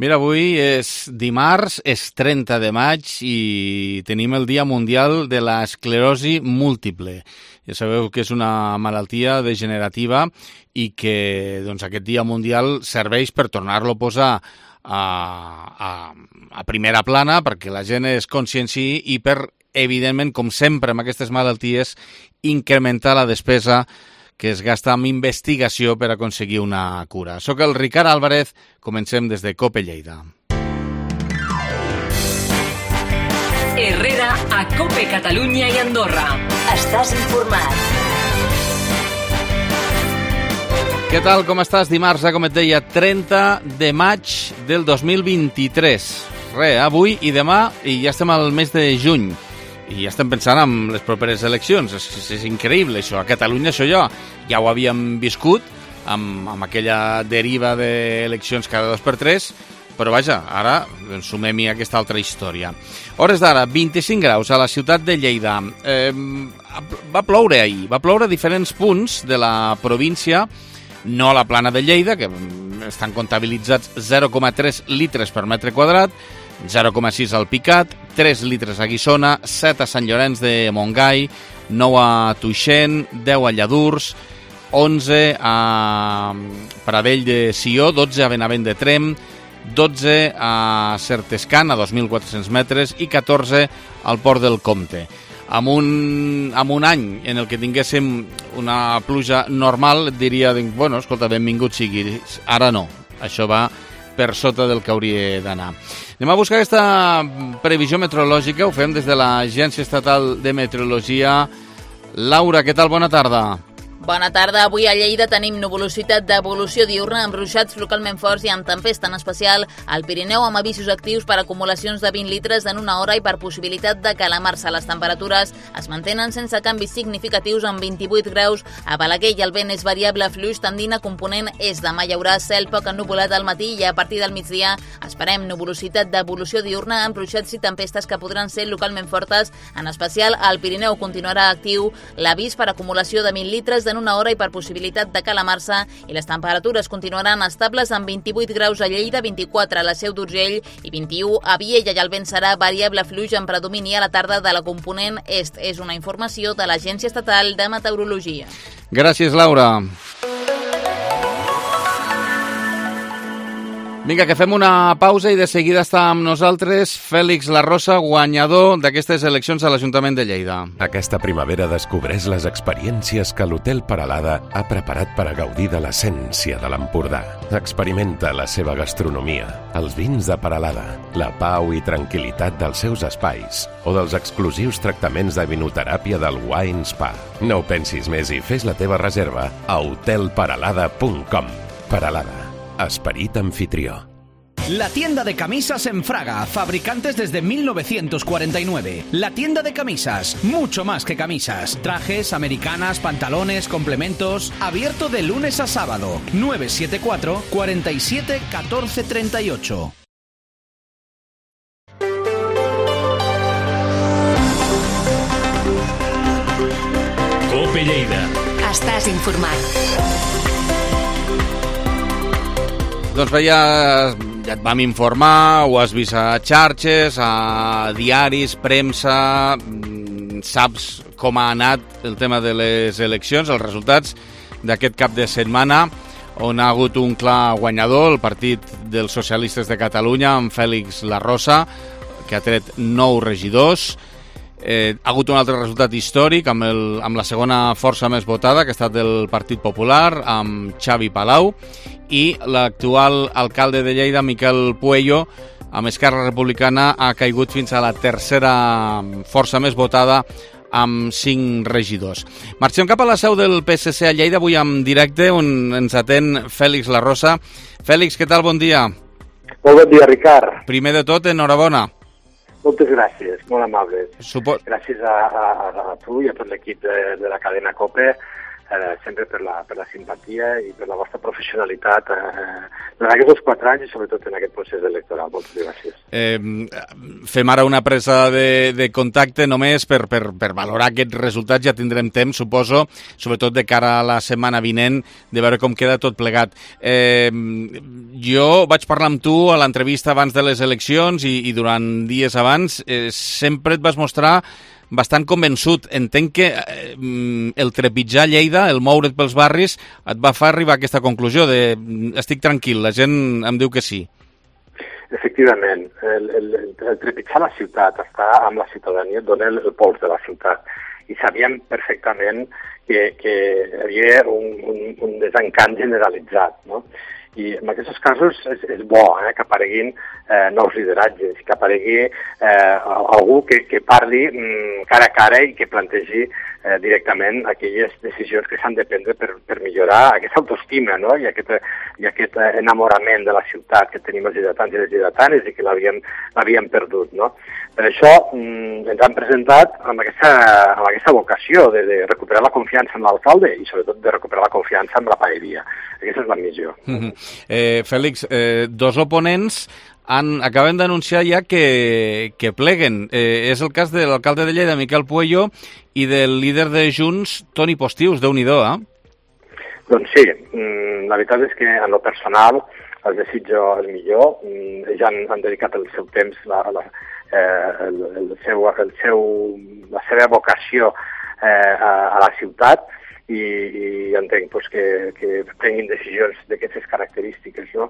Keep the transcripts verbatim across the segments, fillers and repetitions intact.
Mira, avui és dimarts, és trenta de maig i tenim el Dia Mundial de l'Esclerosi Múltiple. Ja sabeu que és una malaltia degenerativa i que doncs, aquest Dia Mundial serveix per tornar-lo a posar a, a, a primera plana perquè la gent es conscienciï i per, evidentment, com sempre amb aquestes malalties, incrementar la despesa que es gasta en investigació per aconseguir una cura. Soc el Ricard Álvarez, comencem des de COPE Lleida. Herrera a COPE Catalunya i Andorra. Estàs informat. Què tal, com estàs? Dimarts, eh, com et deia, trenta de maig del dos mil vint-i-tres. Re, avui i demà, i ja estem al mes de juny. I ja estem pensant en les properes eleccions. És, és increïble, això. A Catalunya, això ja, ja ho havíem viscut, amb, amb aquella deriva d'eleccions cada dos per tres, però vaja, ara doncs, sumem-hi aquesta altra història. Hores d'ara, vint-i-cinc graus a la ciutat de Lleida. Eh, va ploure ahir, va ploure a diferents punts de la província, no a la plana de Lleida, que estan comptabilitzats zero coma tres litres per metre quadrat, zero coma sis al Picat, tres litres a Guissona, set a Sant Llorenç de Montgai, nou a Tuixén, deu a Lladurs, onze a Pradell de Sió, dotze a Benavent de Trem, dotze a Certescan, a dos mil quatre-cents metres, i catorze al Port del Comte. Amb un, amb un any en el que tinguéssim una pluja normal, et diria, bueno, escolta, benvingut sigui. Ara no, això va per sota del que hauria d'anar. Anem a buscar aquesta previsió meteorològica, ho fem des de l'Agència Estatal de Meteorologia. Laura, què tal? Bona tarda. Bona tarda. Avui a Lleida tenim nuvolositat d'evolució diurna amb ruixats localment forts i amb tempesta, en especial al Pirineu, amb avisos actius per acumulacions de vint litres en una hora i per possibilitat de calamar-se. Les temperatures es mantenen sense canvis significatius amb vint-i-vuit graus a Balaguer i el vent és variable fluix tendint a component est. Demà hi haurà cel poc ennuvolat al matí i a partir del migdia esperem nuvolositat d'evolució diurna amb ruixats i tempestes que podran ser localment fortes, en especial al Pirineu. Continuarà actiu l'avís per acumulació de vint litres en una hora i per possibilitat de calamar-se i les temperatures continuaran estables amb vint-i-vuit graus a Lleida, vint-i-quatre a la Seu d'Urgell i vint-i-u a Viella, i el vent serà variable fluix amb predomini a la tarda de la component est. És una informació de l'Agència Estatal de Meteorologia. Gràcies, Laura. Vinga, que fem una pausa i de seguida està amb nosaltres Fèlix Larrosa, guanyador d'aquestes eleccions a l'Ajuntament de Lleida. Aquesta primavera descobreix les experiències que l'Hotel Peralada ha preparat per a gaudir de l'essència de l'Empordà. Experimenta la seva gastronomia, els vins de Peralada, la pau i tranquil·litat dels seus espais o dels exclusius tractaments de vinoteràpia del Wine Spa. No ho pensis més i fes la teva reserva a hotel peralada punt com. Peralada. Esperit anfitrió. La tienda de camisas en Fraga, fabricantes desde mil novecientos cuarenta y nueve. La tienda de camisas, mucho más que camisas. Trajes, americanas, pantalones, complementos. Abierto de lunes a sábado. nueve siete cuatro, cuatro siete, uno cuatro tres ocho. COPE Lleida. Estàs informat. Doncs bé, ja, ja et vam informar, ho has vist a xarxes, a diaris, premsa, saps com ha anat el tema de les eleccions, els resultats d'aquest cap de setmana, on ha hagut un clar guanyador, el Partit dels Socialistes de Catalunya, amb Fèlix Larrosa, que ha tret nou regidors. Eh, ha hagut un altre resultat històric amb, el, amb la segona força més votada, que ha estat del Partit Popular, amb Xavi Palau, i l'actual alcalde de Lleida, Miquel Puello, amb Esquerra Republicana, ha caigut fins a la tercera força més votada, amb cinc regidors. Marxem cap a la seu del P S C a Lleida, avui en directe, on ens atén Fèlix Larrosa. Fèlix, què tal? Bon dia. Molt bon dia, Ricard. Primer de tot, enhorabona. Moltes gràcies, molt amables. Supo... Gràcies a, a, a tu i a tot l'equip de, de la cadena COPE. eh, sempre per la, per la simpatia i per la vostra professionalitat eh, en aquests quatre anys i sobretot en aquest procés electoral. Moltes gràcies. Eh, fem ara una presa de, de contacte només per, per, per valorar aquests resultats. Ja tindrem temps, suposo, sobretot de cara a la setmana vinent, de veure com queda tot plegat. Eh, jo vaig parlar amb tu a l'entrevista abans de les eleccions i, i durant dies abans. Eh, sempre et vas mostrar bastant convençut. Entenc que eh, el trepitjar Lleida, el moure't pels barris, et va fer arribar a aquesta conclusió de estic tranquil, la gent em diu que sí. Efectivament, el, el, el trepitjar la ciutat, estar amb la ciutadania, dona el, el pols de la ciutat. I sabíem perfectament que, que hi havia un, un, un desencant generalitzat, no? I en aquests casos és, és bo eh, que apareguin eh, nous lideratges, que aparegui eh, algú que, que parli mm, cara a cara i que plantegi eh, directament aquelles decisions que s'han de prendre per, per millorar aquesta autoestima, no? I, aquest, i aquest enamorament de la ciutat que tenim els lleidatans i les lleidatanes i que l'havíem perdut, no? Per això mm, ens han presentat amb aquesta, amb aquesta vocació de, de recuperar la confiança en l'alcalde i sobretot de recuperar la confiança en la paeria. Aquesta és la missió. Mm-hmm. Eh, Fèlix, eh, dos oponents han, acaben d'anunciar ja que, que pleguen. Eh, és el cas de l'alcalde de Lleida, Miquel Puello, i del líder de Junts, Toni Postius. Déu-n'hi-do, eh? Doncs sí, mm, la veritat és que en lo personal els desitjo el millor. Mm, ells han, han dedicat el seu temps, la, la, eh, el, el seu, el seu, la seva vocació eh, a, a la ciutat, i, i entenc pues, que, que prenguin decisions d'aquestes característiques, no?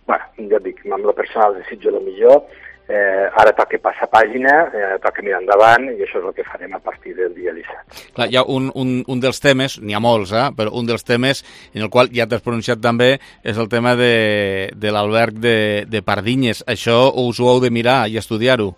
Bueno, ja dic, amb la personal desitjo el millor, eh, ara toca passar pàgina, eh, toca mirar endavant, i això és el que farem a partir del dia disset. Clar, hi ha un, un, un dels temes, n'hi ha molts, eh, però un dels temes en el qual ja t'has pronunciat també és el tema de, de l'alberg de, de Pardinyes. Això us ho heu de mirar i estudiar-ho?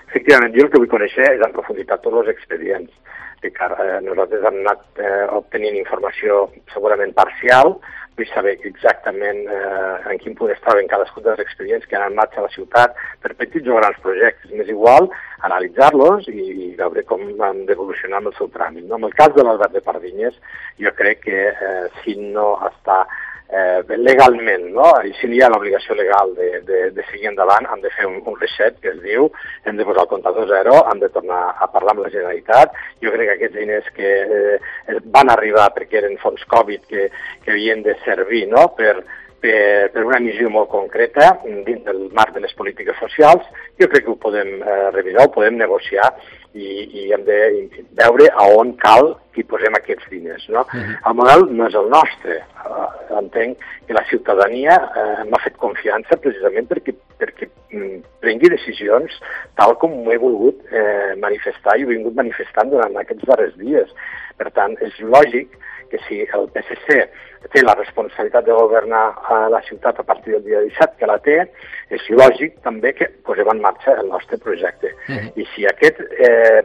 Efectivament, jo el que vull conèixer és en profunditat tots els expedients. Que eh, nosaltres hem anat eh, obtenint informació segurament parcial, vull saber exactament eh, en quin punt es troben cadascun dels expedients que han en marxa a la ciutat per petits o grans projectes. M'és igual analitzar-los i, i veure com han d'evolucionar amb el seu tràmit, no? En el cas de l'alberg de Pardinyes, jo crec que eh, si no està eh, legalment, no? I si hi ha l'obligació legal de, de, de seguir endavant, hem de fer un, un reset, que es diu, hem de posar el comptador zero, hem de tornar a parlar amb la Generalitat. Jo crec que aquests diners que eh, van arribar perquè eren fons Covid que, que havien de servir, no? per, per, per una missió molt concreta dins del marc de les polítiques socials, jo crec que ho podem eh, revisar, ho podem negociar i, i hem de veure a on cal que hi posem aquests diners, no? Uh-huh. El model no és el nostre. Uh, entenc que la ciutadania uh, m'ha fet confiança precisament perquè, perquè mm, prengui decisions tal com ho he volgut eh, manifestar i ho he vingut manifestant durant aquests darrers dies. Per tant, és lògic que si el P S C té la responsabilitat de governar a la ciutat a partir del dia disset, que la té, és lògic també que posem en marxa el nostre projecte. Uh-huh. I si aquest, eh,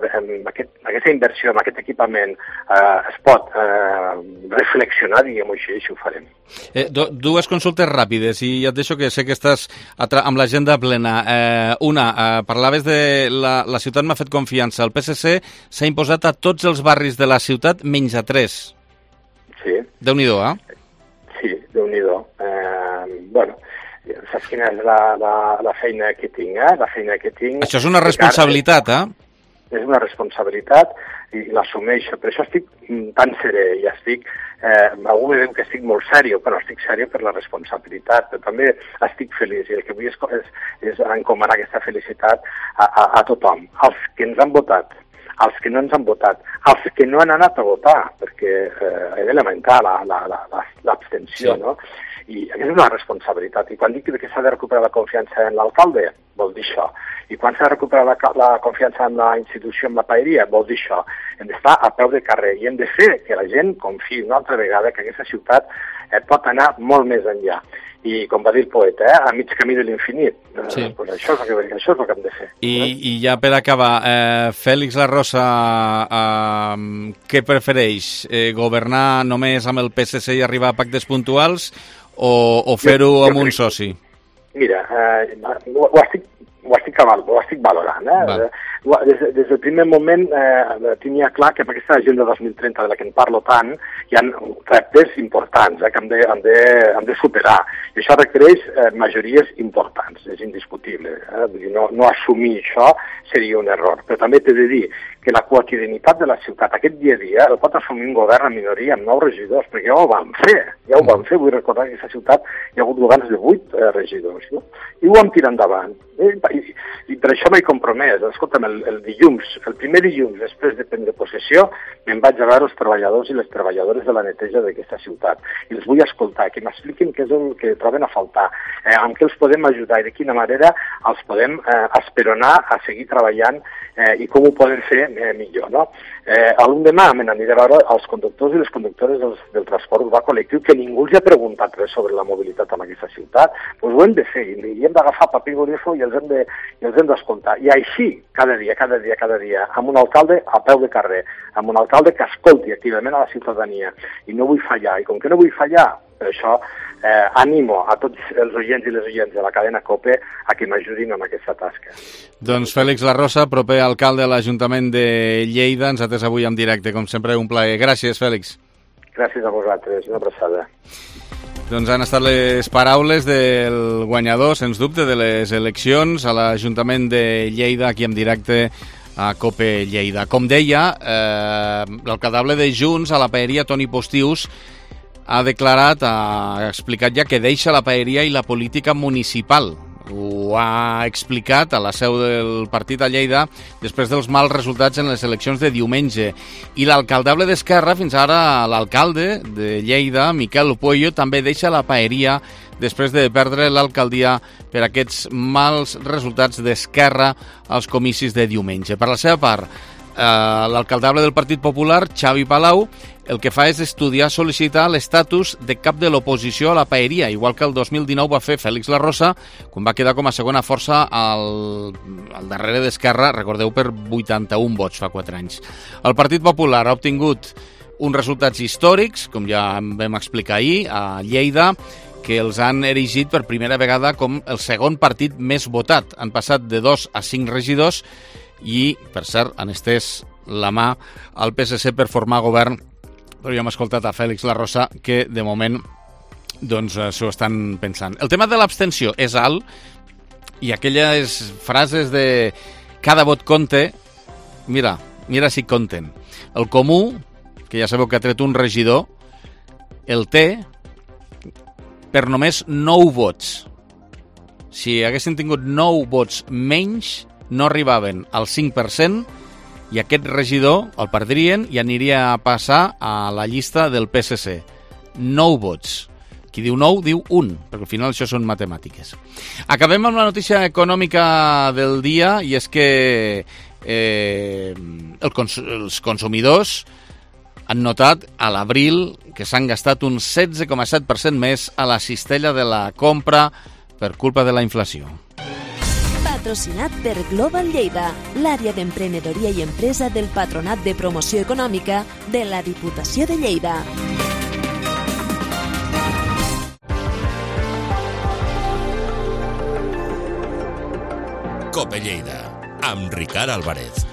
aquest, aquesta inversió en aquest equipament eh, es pot eh, reflexionar, diguem-ho així, així ho farem. Eh, do, dues consultes ràpides, i ja et deixo que sé que estàs amb l'agenda plena. Eh, una, eh, parlaves de la, la ciutat m'ha fet confiança. El P S C s'ha imposat a tots els barris de la ciutat menys a tres. Sí. Déu-n'hi-do, eh? Sí, Déu-n'hi-do. Eh, bueno, saps quina és la, la, la feina que tinc, eh? La feina que tinc... Això és una responsabilitat, eh? És una responsabilitat i l'assumeixo. Per això estic tan serè i estic... Eh, algú me diu que estic molt sèrio, però estic sèrio per la responsabilitat, però també estic feliç i el que vull és, és, és encomanar aquesta felicitat a, a, a tothom, als que ens han votat, als que no ens han votat, als que no han anat a votar, perquè eh, he de lamentar l'abstenció, sí. No? I aquesta és una responsabilitat. I quan dic que s'ha de recuperar la confiança en l'alcalde, vol dir això. I quan s'ha de recuperar la, la confiança en la institució, en la paeria, vol dir això. Hem d'estar a peu de carrer i hem de fer que la gent confiï una altra vegada que aquesta ciutat eh, pot anar molt més enllà. I, com va dir el poeta, eh, a mig camí de l'infinit. Sí. Eh, pues això, és el que, això és el que hem de fer. I, eh? I ja per acabar, eh, Fèlix La Rosa, eh, què prefereix? Eh, governar només amb el P S C i arribar a pactes puntuals o, o fer-ho amb un soci? Mira, eh, ho, ho estic ho estic, ho estic valorant. Eh? Des, des del primer moment eh, tenia clar que amb aquesta agenda dos mil trenta de la que en parlo tant hi ha reptes importants eh, que hem de, hem, de, hem de superar. I això requereix eh, majories importants, és indiscutible. Eh? Vull dir, no, no assumir això seria un error. Però també t'he de dir que la quotidianitat de la ciutat, aquest dia a dia, el pot assumir un govern en minoria amb nou regidors, perquè ja ho vam fer, ja ho vam fer. Vull recordar que en aquesta ciutat hi ha hagut governs de vuit eh, regidors, no? I ho vam tirar endavant. I, i, i per això m'he compromès. Escolta'm, el, el dilluns, el primer dilluns després de prendre possessió, me'n vaig a veure els treballadors i les treballadores de la neteja d'aquesta ciutat. I els vull escoltar, que m'expliquin què és el que troben a faltar, eh, amb què els podem ajudar i de quina manera els podem eh, esperonar a seguir treballant eh, i com ho poden fer eh, millor, no? Eh, L'endemà me n'aniré a veure els conductors i les conductores del, del transport urbà col·lectiu, que ningú els ha preguntat res sobre la mobilitat en aquesta ciutat. Doncs ho hem de fer i hem d'agafar paper i bolígraf i els hem de, i els hem d'escoltar. I així, cada dia, cada dia, cada dia, amb un alcalde a peu de carrer, amb un alcalde que escolti activament a la ciutadania. I no vull fallar. I com que no vull fallar, per això eh, animo a tots els oients i les oients de la cadena COPE a que m'ajudin amb aquesta tasca. Doncs Fèlix Larrosa, proper alcalde de l'Ajuntament de Lleida, ens ha atès avui en directe, com sempre, un plaer. Gràcies, Fèlix. Gràcies a vosaltres, una abraçada. Doncs han estat les paraules del guanyador, sens dubte, de les eleccions a l'Ajuntament de Lleida, aquí en directe a COPE Lleida. Com deia, eh, l'alcaldable de Junts a la paeria, Toni Postius, ha declarat, ha explicat ja que deixa la paeria i la política municipal. Ho ha explicat a la seu del partit a Lleida després dels mals resultats en les eleccions de diumenge. I l'alcaldable d'Esquerra, fins ara l'alcalde de Lleida, Miquel Pueyo, també deixa la paeria després de perdre l'alcaldia per aquests mals resultats d'Esquerra als comicis de diumenge. Per la seva part, eh, l'alcaldable del Partit Popular, Xavi Palau, el que fa és estudiar, sol·licitar l'estatus de cap de l'oposició a la paeria, igual que el dos mil dinou va fer Fèlix Larrosa, quan va quedar com a segona força al, al darrere d'Esquerra, recordeu, per vuitanta-un vots fa quatre anys. El Partit Popular ha obtingut uns resultats històrics, com ja vam explicar ahir, a Lleida, que els han erigit per primera vegada com el segon partit més votat. Han passat de dos a cinc regidors i, per cert, han estès la mà al P S C per formar govern, però ja hem escoltat a Fèlix Larrosa que, de moment, doncs, s'ho estan pensant. El tema de l'abstenció és alt i aquelles frases de cada vot compte, mira, mira si compten. El Comú, que ja sabeu que ha tret un regidor, el té per només nou vots. Si haguessin tingut nou vots menys, no arribaven al cinc per cent i aquest regidor el perdrien i aniria a passar a la llista del P S C. Nou vots. Qui diu nou, diu un, perquè al final això són matemàtiques. Acabem amb la notícia econòmica del dia, i és que eh, el cons els consumidors han notat a l'abril que s'han gastat un setze coma set per cent més a la cistella de la compra per culpa de la inflació. Patrocinat per Global Lleida, l'àrea d'emprenedoria i empresa del Patronat de Promoció Econòmica de la Diputació de Lleida. COPE Lleida, amb Ricard Álvarez.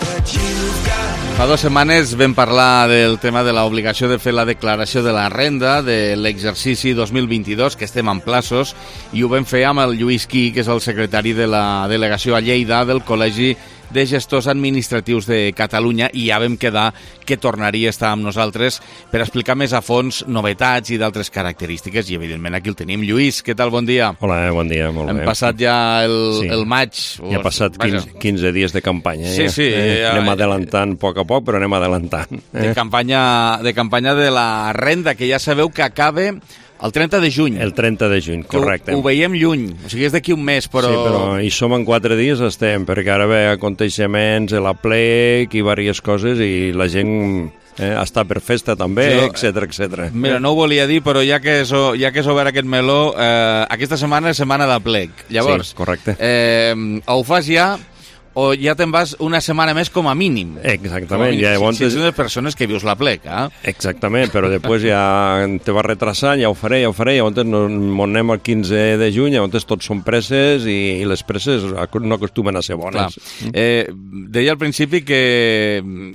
Fa dues setmanes vam parlar del tema de l'obligació de fer la declaració de la renda de l'exercici dos mil vint-i-dos, que estem en plaços, i ho vam fer amb el Lluís Qui, que és el secretari de la delegació a Lleida del Col·legi de Gestors Administratius de Catalunya, i ja vam quedar que tornaria a estar amb nosaltres per explicar més a fons novetats i d'altres característiques, i evidentment aquí el tenim. Lluís, què tal? Bon dia. Hola, bon dia, molt Hem bé. Hem passat ja el, sí. el maig. Ja ha passat quinze, quinze dies de campanya. Sí, ja. sí. Eh, ja, anem adelantant a poc a poc, però anem adelantant. De, eh? campanya, de campanya de la renda, que ja sabeu que acaba el trenta de juny. El trenta de juny, correcte. Ho, ho veiem lluny, o sigui, és d'aquí un mes, però... Sí, però hi som en quatre dies, estem, perquè ara ve aconteixements, la plec i diverses coses, i la gent eh, està per festa també, Jo, etcètera, etcètera. Mira, no ho volia dir, però ja que és, ja que és obert aquest meló, eh, aquesta setmana és setmana de plec. Llavors, sí, correcte. Eh, ho fas ja o ja te'n vas una setmana més com a mínim. Exactament. Si, llavors... si ets una persones que vius la pleca. Eh? Exactament, però després ja te vas retrasant, ja ho faré, ja ho faré, llavors no, no anem el quinze de juny, llavors tots són presses i, i les presses no acostumen a ser bones. Clar. Eh, deia al principi que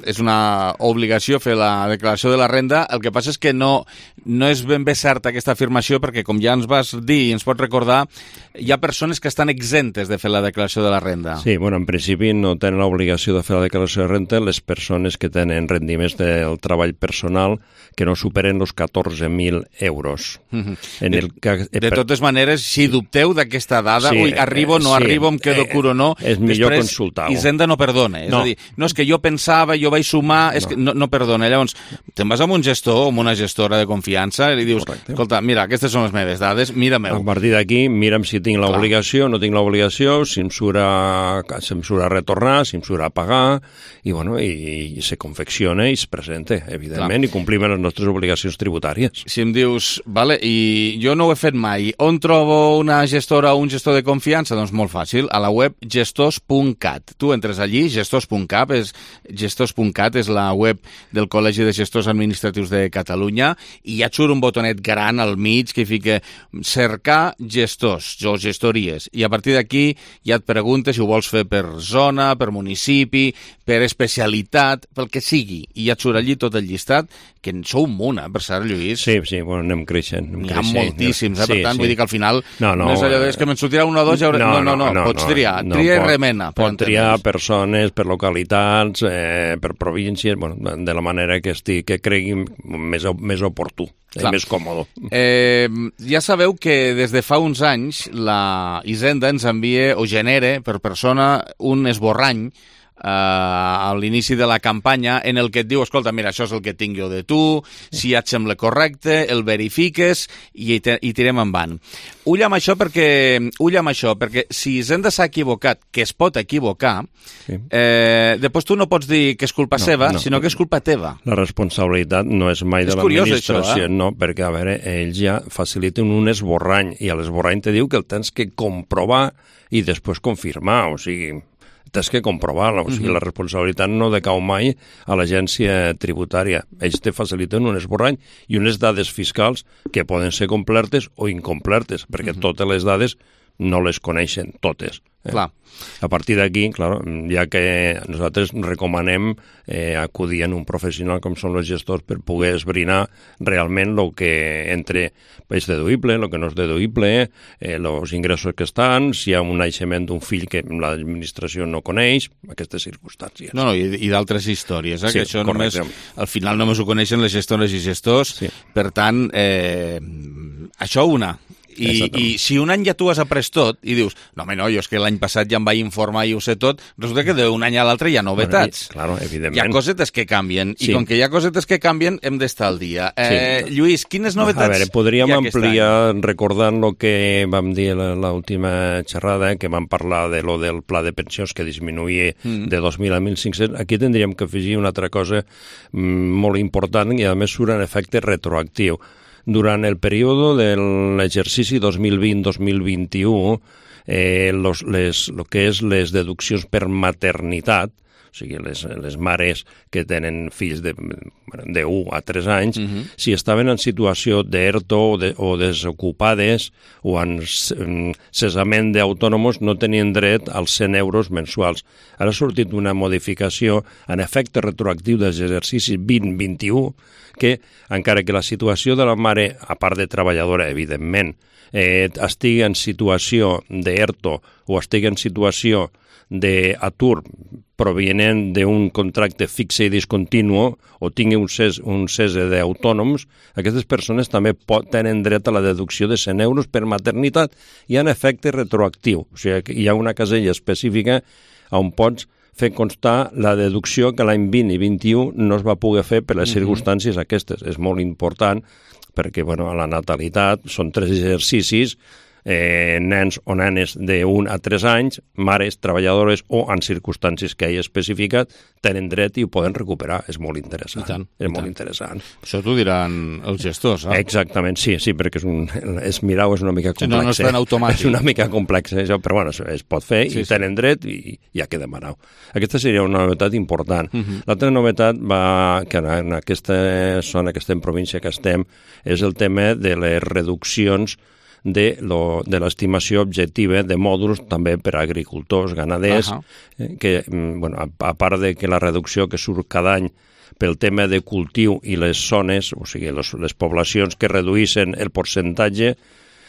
és una obligació fer la declaració de la renda, el que passa és que no, no és ben bé certa aquesta afirmació, perquè com ja ens vas dir i ens pots recordar, hi ha persones que estan exemptes de fer la declaració de la renda. Sí, bueno, en principi no tenen l'obligació de fer la declaració de renda les persones que tenen rendiments del treball personal que no superen els catorze mil euros. Mm-hmm. En de, el que, de per... totes maneres, si dubteu d'aquesta dada, sí, ui, arribo, no sí, arribo, em quedo eh, curo, no, és millor consultar-ho. Hisenda no perdona. És no. a dir, no és que jo pensava, jo vaig sumar, és no. que no, no perdona. Llavors, te'n vas amb un gestor o amb una gestora de confiança i li dius, correcte, escolta, mira, aquestes són les meves dades, mira-meu. A partir d'aquí, mira'm si tinc l'obligació, no tinc l'obligació, si em surt a, si em surt a retornar, si em surt a pagar, i, bueno, i, i se confecciona i es presenta, evidentment, clar, i complim les nostres obligacions tributàries. Si em dius, vale, i jo no ho he fet mai, on trobo una gestora o un gestor de confiança? Doncs molt fàcil, a la web gestors punt cat. Tu entres allí, gestors punt cat, és, gestors punt cat és la web del Col·legi de Gestors Administratius de Catalunya, i ja et surt un botonet gran al mig que fica cercar gestors o gestories, i a partir d'aquí ja et preguntes si ho vols fer per zona, per municipi, per especialitat, pel que sigui, i ja et surt allí tot el llistat, que en sou un munt, eh, per cert, Lluís. Sí, sí, bueno, anem creixent. N'hi ha moltíssims, eh? Sí, per tant, sí. vull dir que al final no, no, no és allò de que me'n sortirà un o dos, ja hauré... no, no, no, no, pots triar, no, tria pot, i remena. Pot triar persones, per localitats, eh, per províncies, bueno, de la manera que estigui, que cregui més, més oportú. Clar. Més còmode. Eh, ja sabeu que des de fa uns anys la Hisenda ens envia o genera per persona un esborrany Uh, a l'inici de la campanya en el que et diu, escolta, mira, això és el que tinc jo de tu, si ja et sembla correcte, el verifiques i, te, i tirem endavant. Ull amb això perquè, ull amb això, perquè si Hisenda s'ha equivocat, que es pot equivocar, sí. eh, després tu no pots dir que és culpa no, seva, no, sinó que és culpa teva. La responsabilitat no és mai de l'administració, eh? No, perquè, a veure, ells ja faciliten un esborrany, i a l'esborrany te diu que el tens que comprovar i després confirmar, o sigui... tens que comprovar-la, o sigui, uh-huh. la responsabilitat no decau mai a l'agència tributària. Ells te faciliten un esborrany i unes dades fiscals que poden ser complertes o incomplertes, perquè uh-huh. totes les dades no les coneixen, totes. Eh? Clar. A partir d'aquí, clar, ja que nosaltres recomanem eh, acudir a un professional com són els gestors per poder esbrinar realment el que entre és deduïble, el que no és deduïble, els eh, ingressos que estan, si hi ha un naixement d'un fill que l'administració no coneix, aquestes circumstàncies. No, no, i, i d'altres històries, eh, sí, que això correcte. Només, al final només ho coneixen les gestores i gestors, sí. Per tant, eh, això una. I, I si un any ja tu has après tot i dius, no, home, no, jo és que l'any passat ja em vaig informar i ho sé tot, resulta que d'un any a l'altre hi ha novetats. Bueno, claro, evidentment. Hi ha cosetes que canvien, sí. I com que hi ha cosetes que canvien, hem d'estar al dia. Eh, sí. Lluís, quines novetats a veure, podríem ampliar recordant el que vam dir l'última xerrada, que vam parlar de lo del pla de pensions que disminuïa mm. de dos mil a mil cinc-cents. Aquí tindríem que afegir una altra cosa mm, molt important i a més surt en efecte retroactiu. Durant el període de l'exercici dos mil vint dos mil vint-i-u, eh, los, les, lo que és les deduccions per maternitat, o sigui, les, les mares que tenen fills de, de u a tres anys, uh-huh. si estaven en situació d'ERTO o, de, o desocupades o en cessament d'autònomos, no tenien dret als cent euros mensuals. Ara ha sortit una modificació en efecte retroactiu dels exercicis vint vint-i-u, que, encara que la situació de la mare, a part de treballadora, evidentment, eh, estigui en situació d'ERTO o estigui en situació d'atur provenent d'un contracte fixe i discontinuo o tingui un cés, un cese d'autònoms, aquestes persones també pot, tenen dret a la deducció de cent euros per maternitat i en efecte retroactiu. O sigui, que hi ha una casella específica on pots fer constar la deducció que l'any vint i vint-i-u no es va poder fer per les circumstàncies aquestes. És molt important perquè, bueno, a la natalitat són tres exercicis eh, nens o nenes d'un a tres anys, mares, treballadores o en circumstàncies que hagi especificat, tenen dret i ho poden recuperar. És molt interessant. I tant, és i molt tant. interessant. Això t'ho diran els gestors, eh? Exactament, sí, sí, perquè és, un, és mirar és una mica complex. No, no és tan automàtic. És una mica complex, eh, això, però bueno, es, es pot fer sí, i tenen sí. dret i hi ha que demanar. Aquesta seria una novetat important. Uh -huh. L'altra novetat va, que en aquesta zona, que estem, província que estem, és el tema de les reduccions de, lo, de l'estimació objectiva de mòduls també per a agricultors, ganaders, uh -huh. eh, que, bueno, a, a part de que la reducció que surt cada any pel tema de cultiu i les zones, o sigui, les, les poblacions que reduïssin el percentatge,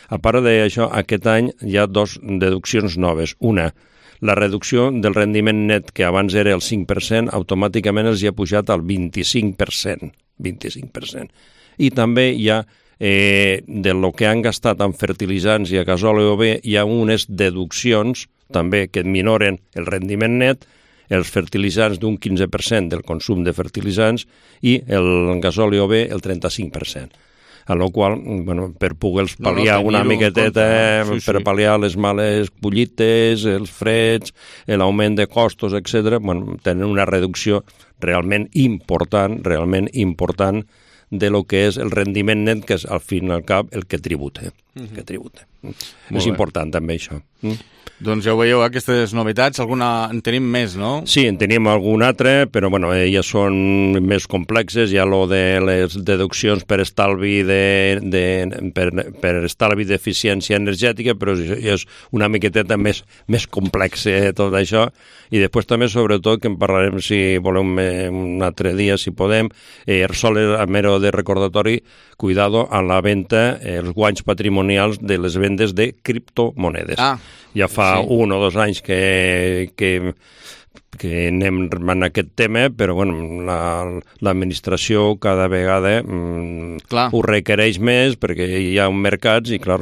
a part d'això, aquest any hi ha dues deduccions noves. Una, la reducció del rendiment net, que abans era el cinc per cent, automàticament els hi ha pujat al vint-i-cinc per cent. vint-i-cinc per cent. I també hi ha Eh, de lo que han gastat en fertilitzants i a gasoli O B, hi ha unes deduccions també que minoren el rendiment net, els fertilitzants d'un quinze per cent del consum de fertilitzants i el gasoli O B el trenta-cinc per cent. A la qual, bueno, per poder pal·liar no, no, una miqueteta, sí, sí. per pal·liar les males collites, els freds, l'augment de costos, etcètera, bueno, tenen una reducció realment important, realment important de lo que és el rendiment net, que és al fin i al cap el que tributa. Uh-huh. que tributa. És bé. Important també això. Mm. Doncs ja ho veieu, aquestes novetats, alguna en tenim més, no? Sí, en tenim algun altre, però bueno, elles són més complexes, hi ha lo de les deduccions per estalvi de, de per, per estalvi d'eficiència energètica, però és una miqueteta més, més complex eh, tot això, i després també sobretot que en parlarem si volem eh, un altre dia, si podem, eh, sols a mero de recordatori, cuidado a la venda, eh, els guanys patrimonials de les vendes de criptomonedes. Ah, ja fa sí. un o dos anys que, que, que anem en aquest tema, però bueno, la, l'administració cada vegada mm, ho requereix més perquè hi ha un mercat i, clar,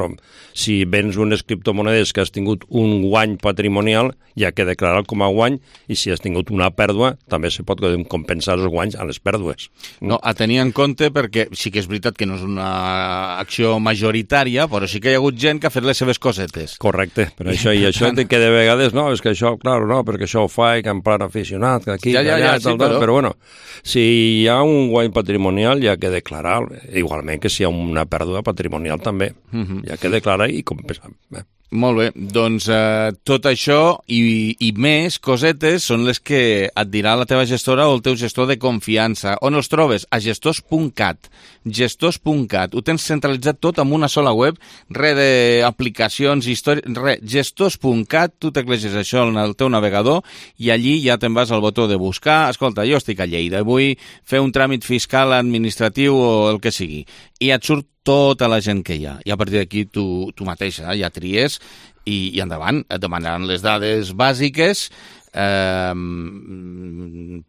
si vens unes criptomonedes que has tingut un guany patrimonial, hi ha que declarar com a guany, i si has tingut una pèrdua, també se pot compensar els guanys a les pèrdues. No, a tenir en compte, perquè sí que és veritat que no és una acció majoritària, però sí que hi ha hagut gent que ha fet les seves cosetes. Correcte, però això i això que de vegades, no, és que això, clar, no, perquè això ho fa i que en plan aficionat, que aquí, ja, ja, que allà, ja, sí, tal, però... però bueno, si hi ha un guany patrimonial hi ha que declarar, igualment que si hi ha una pèrdua patrimonial també, uh-huh. hi ha que declarar i compensar. Eh? Molt bé, doncs eh, tot això i, i més cosetes són les que et dirà la teva gestora o el teu gestor de confiança. On els trobes? A gestors punt cat. gestors punt cat. Ho tens centralitzat tot en una sola web, res d'aplicacions, històries, res. gestors punt cat, tu tecleges això en el teu navegador i allí ja te'n vas al botó de buscar. Escolta, jo estic a Lleida, vull fer un tràmit fiscal, administratiu o el que sigui. I et surt tota la gent que hi ha. I a partir d'aquí tu, tu mateixa ja tries i, i endavant. Et demanaran les dades bàsiques, eh,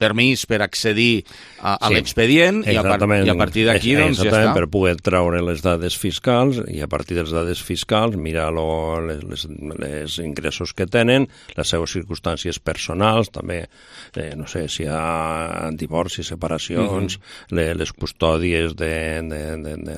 permís per accedir a, a sí, l'expedient i a, par i a partir d'aquí doncs, ja està. Per poder treure les dades fiscals i a partir de les dades fiscals mirar lo, les, les, les ingressos que tenen, les seves circumstàncies personals, també, eh, no sé, si hi ha divorcis, separacions, mm-hmm. les, les custòdies de, de, de, de,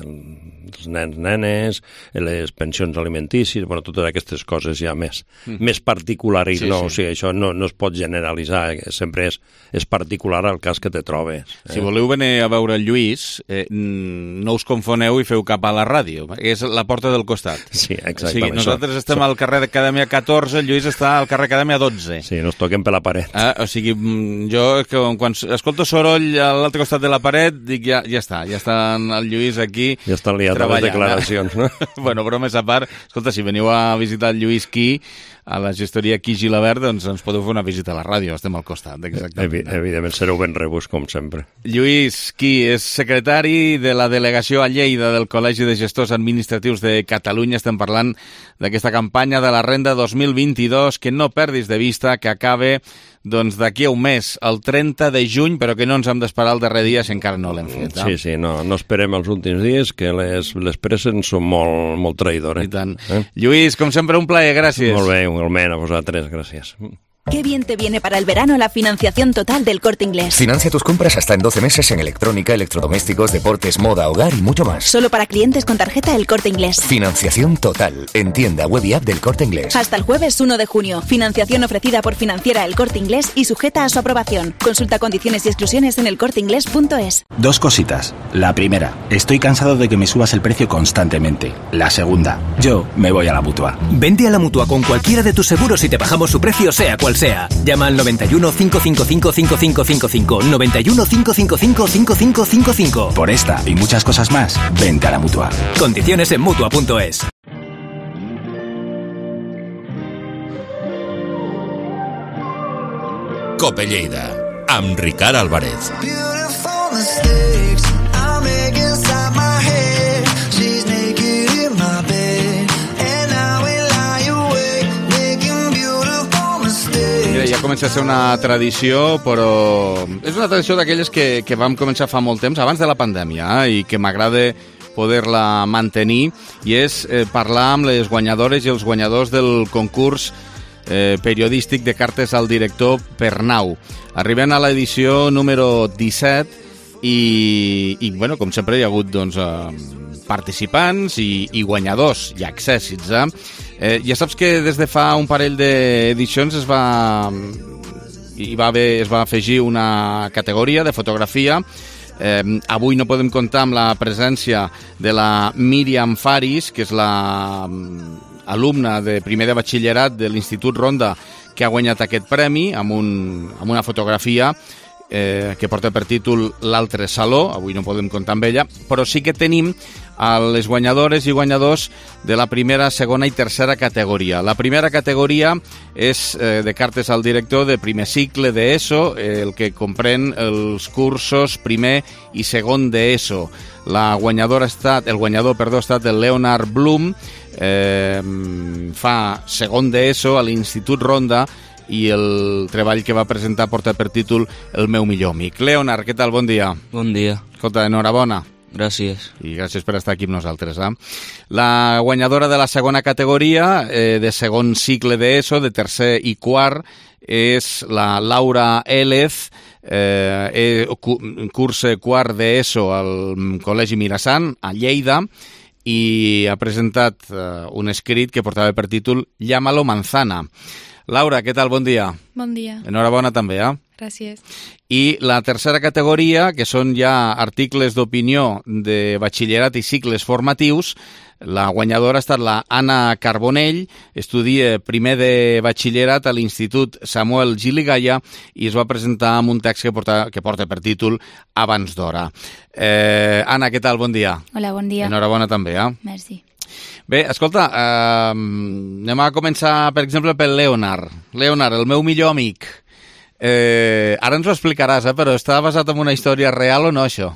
dels nens, nenes, les pensions alimentícies, bueno, totes aquestes coses ja més, mm. més particulars, sí, no? Sí. O sigui, això no, no es pot generalitzar, sempre és, és particular al cas que te trobes. Eh? Si voleu venir a veure el Lluís, eh, no us confoneu i feu cap a la ràdio, és la porta del costat. Sí, exactament. O sigui, nosaltres això, estem això. al carrer d'Acadèmia catorze, el Lluís està al carrer Acadèmia dotze. Sí, nos toquem per la paret. Eh? O sigui, jo quan escolto soroll a l'altre costat de la paret, dic ja, ja està, ja està el Lluís aquí ja estan liat les declaracions, no? Bueno, bromes a part, escolta, si veniu a visitar el Lluís Qui, a la gestoria Qui Gilabert, doncs ens podeu fer una visita a la ràdio, estem al costat, exactament. Evi evidentment, sereu ben rebuts, com sempre. Lluís Qui és secretari de la delegació a Lleida del Col·legi de Gestors Administratius de Catalunya. Estem parlant d'aquesta campanya de la renda dos mil vint-i-dos, que no perdis de vista, que acabe doncs d'aquí a un mes, el trenta de juny, però que no ens hem d'esperar el darrer dia si encara no l'hem fet. Eh? Sí, sí, no, no esperem els últims dies, que les, les presses són molt, molt traïdores. I tant. Eh? Lluís, com sempre, un plaer, gràcies. Molt bé, igualment, a vosaltres, gràcies. Qué bien te viene para el verano la financiación total del Corte Inglés. Financia tus compras hasta en doce meses en electrónica, electrodomésticos, deportes, moda, hogar y mucho más. Solo para clientes con tarjeta El Corte Inglés. Financiación total en tienda web y app del Corte Inglés. Hasta el jueves uno de junio. Financiación ofrecida por Financiera El Corte Inglés y sujeta a su aprobación. Consulta condiciones y exclusiones en el corte inglés punto es. Dos cositas. La primera, estoy cansado de que me subas el precio constantemente. La segunda, yo me voy a la Mutua. Vente a la Mutua con cualquiera de tus seguros y te bajamos su precio sea cual sea. Llama al noventa y uno, cinco cinco cinco, cinco cinco cinco cinco, noventa y uno, cinco cinco cinco, cinco cinco cinco cinco. Por esta y muchas cosas más, vente a la Mutua. Condiciones en Mutua punto es. Cope Lleida, amb Ricard Álvarez. Ja comença a ser una tradició, però és una tradició d'aquelles que, que vam començar fa molt temps, abans de la pandèmia, eh, i que m'agrada poder-la mantenir, i és eh, parlar amb les guanyadores i els guanyadors del concurs eh, periodístic de cartes al director Pernau. Arribem a l'edició número disset i, i bueno, com sempre hi ha hagut doncs, eh, participants i, i guanyadors i accèssits, eh? Eh, ja saps que des de fa un parell d'edicions es va, hi va haver, es va afegir una categoria de fotografia. Eh, avui no podem comptar amb la presència de la Míriam Faris, que és la alumna de primer de batxillerat de l'Institut Ronda que ha guanyat aquest premi amb, un, amb una fotografia eh, que porta per títol L'altre saló. Avui no podem comptar amb ella, però sí que tenim a les guanyadores i guanyadors de la primera, segona i tercera categoria. La primera categoria és eh, de cartes al director de primer cicle d'ESO, eh, el que comprèn els cursos primer i segon d'ESO. La guanyadora ha estat, el guanyador, perdó, ha estat el Leonard Blum, eh, fa segon d'ESO a l'Institut Ronda, i el treball que va presentar porta per títol El meu millor amic. Leonard, què tal? Bon dia. Bon dia. Escolta, enhorabona. Gràcies. I gràcies per estar aquí amb nosaltres. Eh? La guanyadora de la segona categoria, eh, de segon cicle d'ESO, de tercer i quart, és la Laura Élez, eh, cursa quart d'ESO al Col·legi Mirasant, a Lleida, i ha presentat eh, un escrit que portava per títol Llámalo manzana. Laura, què tal? Bon dia. Bon dia. Enhorabona també, eh? Gràcies. I la tercera categoria, que són ja articles d'opinió de batxillerat i cicles formatius, la guanyadora ha estat la Anna Carbonell, estudia primer de batxillerat a l'Institut Samuel Giligaya i es va presentar amb un text que porta, que porta per títol Abans d'hora. Eh, Anna, què tal? Bon dia. Hola, bon dia. Enhorabona també, eh? Merci. Bé, escolta, eh, anem a començar, per exemple, pel Leonard. Leonard, el meu millor amic. Eh, ara ens ho explicaràs, eh, però està basat en una història real o no, això?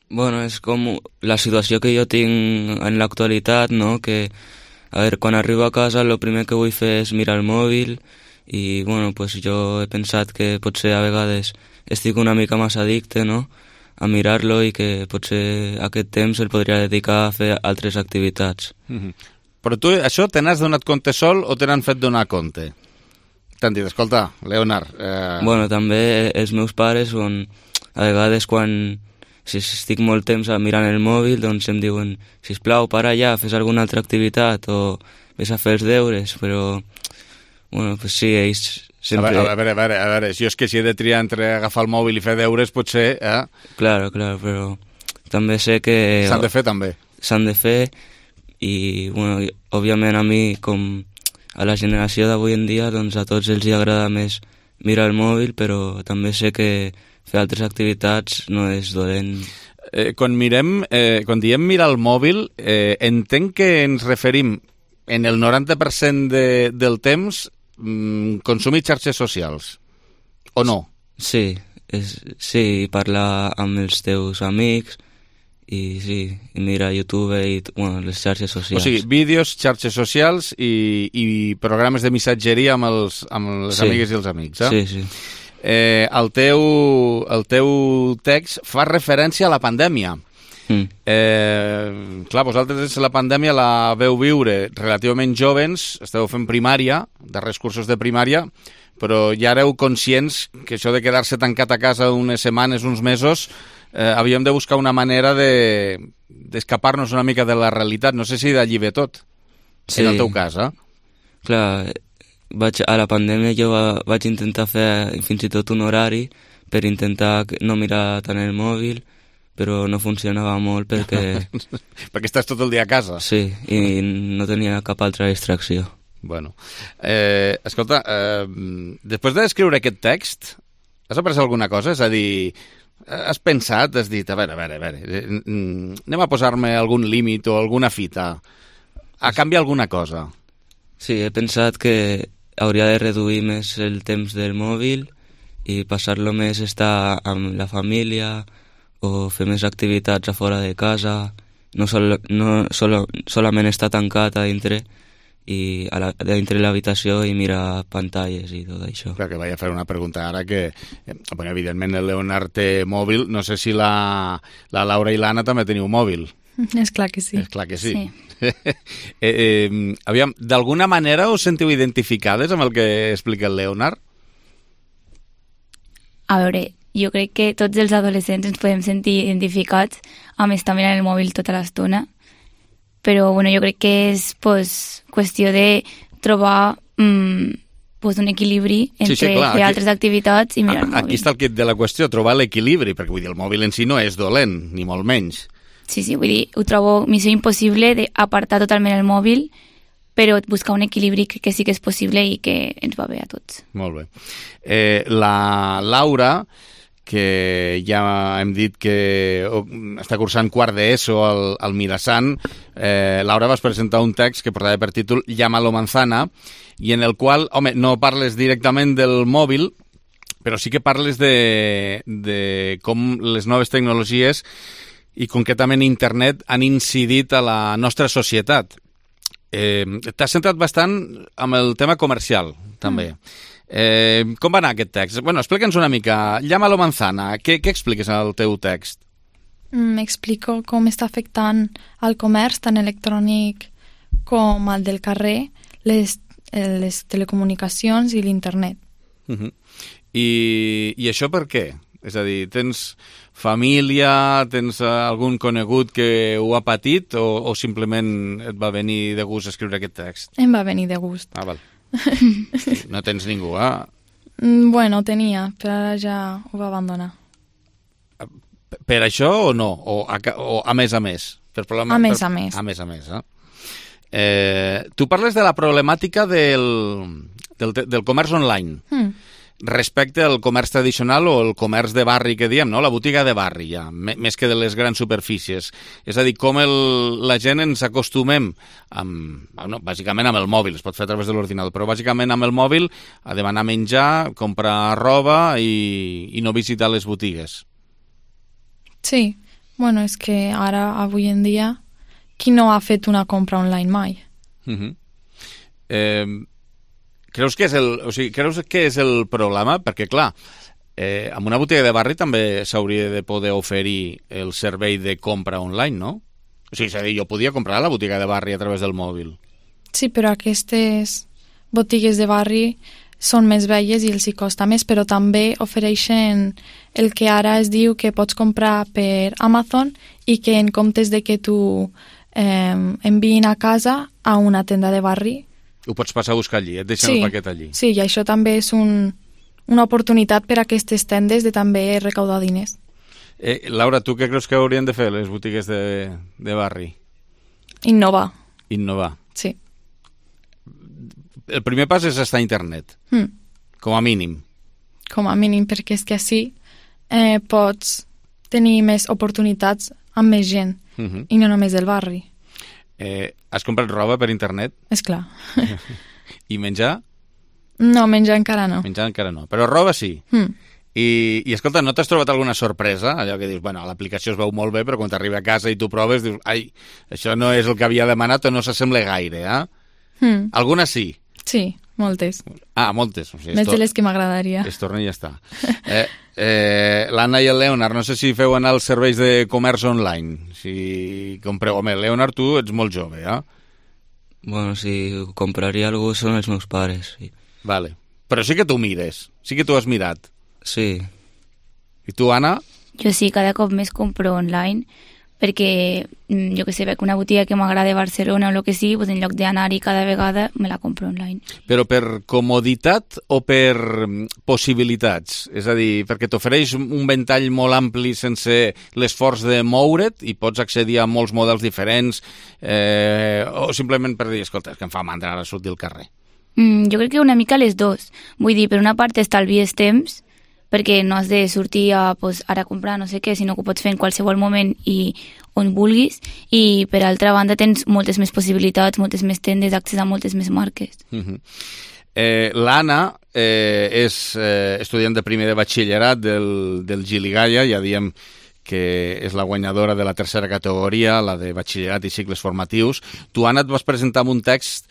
Bueno, és com la situació que jo tinc en l'actualitat, no? Que, a veure, quan arribo a casa el primer que vull fer és mirar el mòbil i, bueno, pues jo he pensat que potser a vegades estic una mica massa addicte, no?, a mirar-lo i que potser aquest temps el podria dedicar a fer altres activitats. Mm-hmm. Però tu això te n'has donat compte sol o te n'han fet donar compte? T'han dit, escolta, Leonard... Eh... Bueno, també els meus pares, on, a vegades quan si estic molt temps mirant el mòbil, doncs em diuen, sisplau, para ja, fes alguna altra activitat o ves a fer els deures, però, bueno, pues sí, ells... Sempre... A, veure, a, veure, a veure, jo és que si he de triar entre agafar el mòbil i fer deures, potser... Eh? Claro, claro, però també sé que... S'han de fer, també. S'han de fer i, bueno, òbviament a mi, com a la generació d'avui en dia, doncs a tots els agrada més mirar el mòbil, però també sé que fer altres activitats no és dolent. Eh, quan mirem, eh, quan diem mirar el mòbil, eh, entenc que ens referim en el noranta per cent de, del temps consumir xarxes socials, o no? Sí, és, sí, parlar amb els teus amics i sí, i mirar YouTube i bueno, les xarxes socials. O sigui, vídeos, xarxes socials i, i programes de missatgeria amb, els, amb les sí. amigues i els amics, eh? Sí, sí. Eh, el, teu, el teu text fa referència a la pandèmia. Mm. Eh, clar, vosaltres la pandèmia la veu viure relativament jovens, esteu fent primària, darrers cursos de primària, però ja éreu conscients que això de quedar-se tancat a casa unes setmanes, uns mesos, eh, havíem de buscar una manera de d'escapar-nos una mica de la realitat. No sé si d'allí ve tot, sí. En el teu cas, eh? Clar, vaig, a la pandèmia jo va, vaig intentar fer fins i tot un horari per intentar no mirar tant el mòbil, però no funcionava molt perquè... perquè estàs tot el dia a casa. Sí, i no tenia cap altra distracció. Bueno, eh, escolta, eh, després d'escriure aquest text, has après alguna cosa? És a dir, has pensat, has dit, a veure, a veure, a veure, anem a posar-me algun límit o alguna fita, a canviar alguna cosa? Sí, he pensat que hauria de reduir més el temps del mòbil i passar-lo més a estar amb la família, o fer més activitats a fora de casa, no, sol, no solo, solament estar tancat a dintre i a, la, a dintre l'habitació i mirar pantalles i tot això. Clar, que vaig a fer una pregunta ara que, eh, bueno, evidentment el Leonard té mòbil, no sé si la, la Laura i l'Anna també teniu mòbil. És clar que sí. És clar que sí. sí. eh, eh, aviam, d'alguna manera us sentiu identificades amb el que explica el Leonard? A veure, jo crec que tots els adolescents ens podem sentir identificats amb estar mirant el mòbil tota l'estona, però bueno, jo crec que és pues, qüestió de trobar mm, pues, un equilibri entre sí, sí, clar, fer aquí, altres activitats i mirar el mòbil. Aquí està el kit de la qüestió, trobar l'equilibri, perquè vull dir, el mòbil en si no és dolent, ni molt menys. Sí, sí, vull dir, ho trobo missió impossible d'apartar totalment el mòbil, però buscar un equilibri que, que sí que és possible i que ens va bé a tots. Molt bé. Eh, la Laura, que ja hem dit que està cursant quart d'ESO al, al Mirasant, eh, Laura, vas presentar un text que portava per títol Llámalo manzana, i en el qual, home, no parles directament del mòbil, però sí que parles de, de com les noves tecnologies i concretament internet han incidit a la nostra societat. Eh, T'has centrat bastant amb el tema comercial, també. Mm. Eh, com va anar aquest text? Bueno, explica'ns una mica. Llámalo manzana. Què, què expliques en el teu text? Mm, explico com està afectant el comerç tant electrònic com el del carrer, les, les telecomunicacions i l'internet. Uh-huh. I, I això per què? És a dir, tens família, tens algun conegut que ho ha patit o, o simplement et va venir de gust escriure aquest text? Em va venir de gust. Ah, val. No tens ningú, eh? Bueno, tenia, però ara ja ho va abandonar. Per això o no? O a, o a més a més? Per problema, a més per, a més. A més a més, eh? eh tu parles de la problemàtica del, del, del comerç online. Mm. Respecte al comerç tradicional o el comerç de barri que diem, no? La botiga de barri, ja, més que de les grans superfícies. És a dir, com el, la gent ens acostumem, amb, no, bàsicament amb el mòbil, es pot fer a través de l'ordinador, però bàsicament amb el mòbil a demanar menjar, comprar roba i, i no visitar les botigues. Sí, bueno, és que ara, avui en dia, qui no ha fet una compra online mai? Uh-huh. Eh... Creus que és el, o sigui, creus que és el problema? Perquè, clar, eh, amb una botiga de barri també s'hauria de poder oferir el servei de compra online, no? O sigui, és a dir, jo podia comprar a la botiga de barri a través del mòbil. Sí, però aquestes botigues de barri són més velles i els hi costa més, però també ofereixen el que ara es diu que pots comprar per Amazon i que en comptes de que tu eh, enviïn a casa a una tenda de barri, ho pots passar a buscar allí, et deixen sí, el paquet allí. Sí, i això també és un, una oportunitat per a aquestes tendes de també recaudar diners. Eh, Laura, tu què creus que haurien de fer les botigues de, de barri? Innovar. Innovar. Sí. El primer pas és estar a internet, mm. com a mínim. Com a mínim, perquè és que així eh, pots tenir més oportunitats amb més gent, uh-huh. i no només del barri. Eh, has comprat roba per internet? És clar. I menjar? No, menjar encara no. Menjar encara no, però roba sí. Mm. I, I escolta, no t'has trobat alguna sorpresa? Allò que dius, bueno, l'aplicació es veu molt bé, però quan t'arriba a casa i tu proves, dius, ai, això no és el que havia demanat o no s'assembla gaire, eh? Mm. Alguna sí? Sí, moltes. Ah, moltes. O sigui, Més de les que m'agradaria. Es torna i ja està. Eh, eh, L'Anna i el Leonard, no sé si feu anar els serveis de comerç online. Si compreu... Home, Leonard, tu ets molt jove, eh? Bueno, si compraria algú són els meus pares, sí. Vale. Però sí que tu mires, sí que tu has mirat. Sí. I tu, Anna? Jo sí, cada cop més compro online, perquè jo que sé, veig una botiga que m'agrada a Barcelona o el que sigui, doncs en lloc d'anar-hi cada vegada me la compro online. Però per comoditat o per possibilitats? És a dir, perquè t'ofereix un ventall molt ampli sense l'esforç de moure't i pots accedir a molts models diferents, eh, o simplement per dir, escolta, és que em fa mandra ara sortir al carrer. Mm, jo crec que una mica les dos. Vull dir, per una part estalvies temps, perquè no has de sortir a, pues, ara a comprar no sé què, sinó que ho pots fer en qualsevol moment i on vulguis, i per altra banda tens moltes més possibilitats, moltes més tendes, accés a moltes més marques. Uh-huh. eh, L'Anna eh, és eh, estudiant de primer de batxillerat del, del Gili Gaia, ja diem que és la guanyadora de la tercera categoria, la de batxillerat i cicles formatius. Tu, Anna, et vas presentar amb un text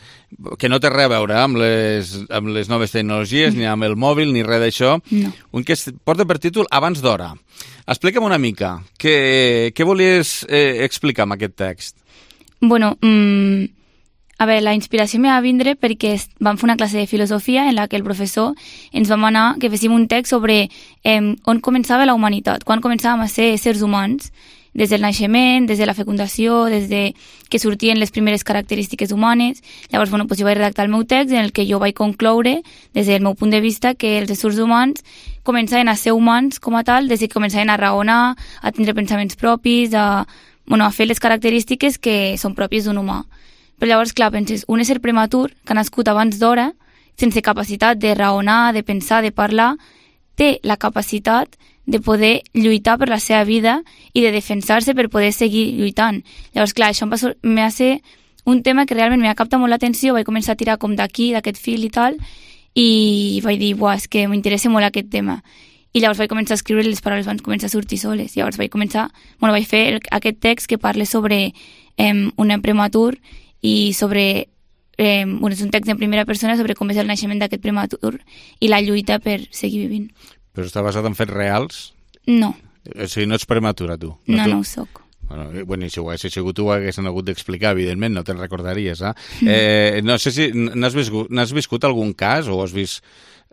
que no té res a veure amb les, amb les noves tecnologies, mm. ni amb el mòbil, ni res d'això. No. Un que porta per títol Abans d'hora. Explica'm una mica, què, què volies eh, explicar amb aquest text? Bueno, mmm, a veure, la inspiració me va vindre perquè vam fer una classe de filosofia en la que el professor ens va manar que féssim un text sobre eh, on començava la humanitat, quan començàvem a ser éssers humans, des del naixement, des de la fecundació, des de que sortien les primeres característiques humanes. Llavors, bueno, doncs jo vaig redactar el meu text en el que jo vaig concloure, des del meu punt de vista, que els éssers humans començaven a ser humans com a tal, des que començaven a raonar, a tindre pensaments propis, a, bueno, a fer les característiques que són pròpies d'un humà. Però llavors, clar, penses, un ésser prematur que ha nascut abans d'hora, sense capacitat de raonar, de pensar, de parlar, té la capacitat de poder lluitar per la seva vida i de defensar-se per poder seguir lluitant. Llavors, clar, això em va, em va ser un tema que realment m'ha captat molt l'atenció, vaig començar a tirar com d'aquí, d'aquest fil i tal, i vaig dir, buah, és que m'interessa molt aquest tema. I llavors vaig començar a escriure i les paraules van començar a sortir soles. Llavors vaig començar, bueno, vaig fer el, aquest text que parla sobre eh, un nen prematur i sobre, eh, bueno, és un text en primera persona sobre com és el naixement d'aquest prematur i la lluita per seguir vivint. Però està basat en fets reals? No. O sigui, no ets prematura, tu? No, no, tu... no ho soc. Bueno, bueno, si ho haguessis sigut tu ho haguessin hagut d'explicar, evidentment, no te'n recordaries, eh? eh no sé si n'has viscut, n'has viscut algun cas o has vist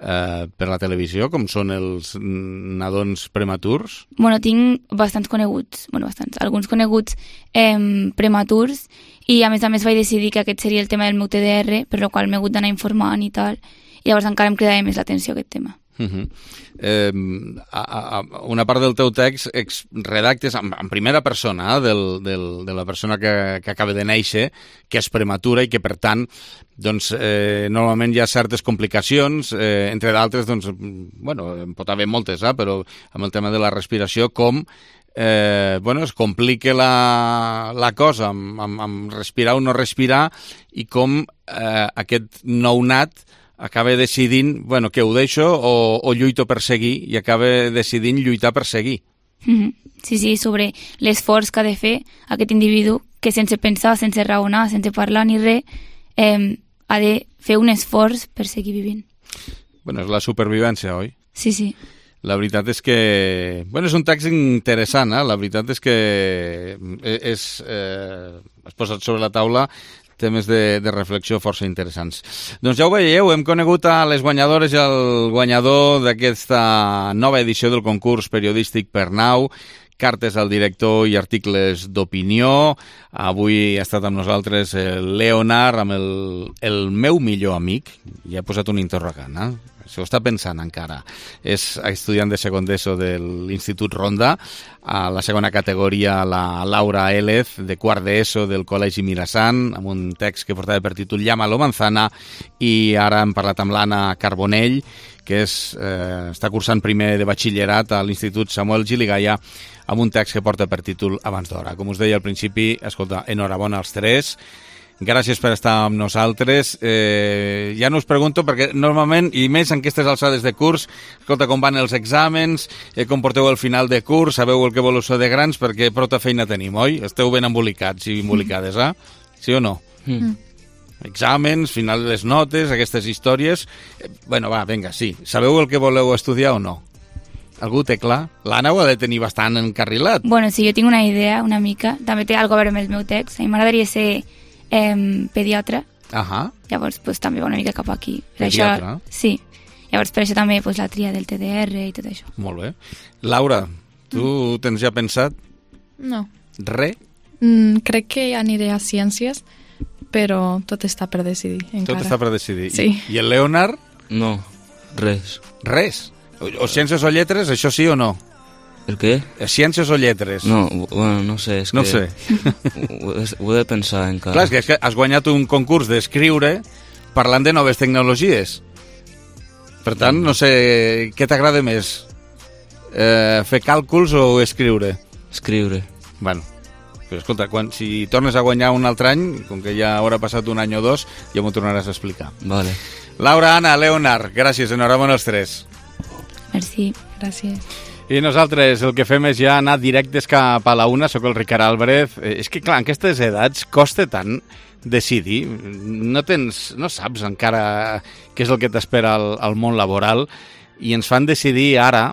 eh, per la televisió com són els nadons prematurs? Bueno, tinc bastants coneguts, bueno, bastants, alguns coneguts eh, prematurs, i a més a més vaig decidir que aquest seria el tema del meu T D R, per la qual m'he hagut d'anar informant i tal, i llavors encara em cridava més l'atenció aquest tema. Uh -huh. eh, a, a, una part del teu text ex, redactes en, en primera persona eh, del, del, de la persona que, que acaba de néixer, que és prematura i que per tant doncs, eh, normalment hi ha certes complicacions, eh, entre d'altres doncs, bueno, en pot haver moltes, eh, però amb el tema de la respiració, com eh, bueno, es complica la, la cosa amb, amb, amb respirar o no respirar, i com eh, aquest nounat acaba decidint, bueno, que ho deixo o, o lluito per seguir, i acaba decidint lluitar per seguir. Mm-hmm. Sí, sí, sobre l'esforç que ha de fer aquest individu, que sense pensar, sense raonar, sense parlar ni res, eh, ha de fer un esforç per seguir vivint. Bueno, és la supervivència, oi? Sí, sí. La veritat és que... Bueno, és un text interessant, eh? La veritat és que és, eh, has posat sobre la taula temes de, de reflexió força interessants. Doncs ja ho veieu, hem conegut a les guanyadores i el guanyador d'aquesta nova edició del concurs periodístic Pernau, cartes al director i articles d'opinió. Avui ha estat amb nosaltres el Leonard, amb el, el meu millor amic, i ha posat un interrogant, eh? S'ho està pensant encara. És estudiant de segon d'ESO de l'Institut Ronda, a la segona categoria la Laura Élez, de quart d'ESO del Col·legi Mirasant, amb un text que portava per títol Llámalo manzana, i ara hem parlat amb l'Anna Carbonell, que és, eh, està cursant primer de batxillerat a l'Institut Samuel Gili Gaia, amb un text que porta per títol Abans d'hora. Com us deia al principi, escolta, enhorabona als tres. Gràcies per estar amb nosaltres. Eh, ja no us pregunto, perquè normalment, i més en aquestes alçades de curs, escolta, com van els exàmens, eh, com porteu el final de curs, sabeu el que voleu ser de grans, perquè prou feina tenim, oi? Esteu ben embolicats i embolicades, eh? Sí o no? Mm. exàmens, final de les notes, aquestes històries... Bueno, va, vinga, sí. Sabeu el que voleu estudiar o no? Algú té clar? L'Anna ho ha de tenir bastant encarrilat. Bueno, sí, jo tinc una idea, una mica. També té alguna cosa a veure amb el meu text. A mi m'agradaria ser eh, pediatra. Ahà. Llavors, pues, també va una mica cap aquí. Per Pediatra? Això, sí. Llavors, per això també pues, la tria del T D R i tot això. Molt bé. Laura, tu mm. tens ja pensat? No. Re? Mm, crec que aniré a ciències, però tot està per decidir encara. Tot està per decidir. Sí. I, i el Leonard? No, res. Res? O, o ciències o lletres, això sí o no? El què? Ciències o lletres? No, bueno, no sé. És no que sé. ho, ho he de pensar encara. Clar, és que, és que has guanyat un concurs d'escriure parlant de noves tecnologies. Per tant, no sé, què t'agrada més? Eh, fer càlculs o escriure? Escriure. Bueno, però escolta, quan, si tornes a guanyar un altre any, com que ja haurà passat un any o dos, ja m'ho tornaràs a explicar. Vale. Laura, Anna, Leonard, gràcies, enhorabona els tres. Merci. Gràcies. I nosaltres el que fem és ja anar directes cap a la una. Soc el Ricard Álvarez. Eh, és que, clar, en aquestes edats costa tant decidir. No tens, no saps encara què és el que t'espera al, al món laboral i ens fan decidir ara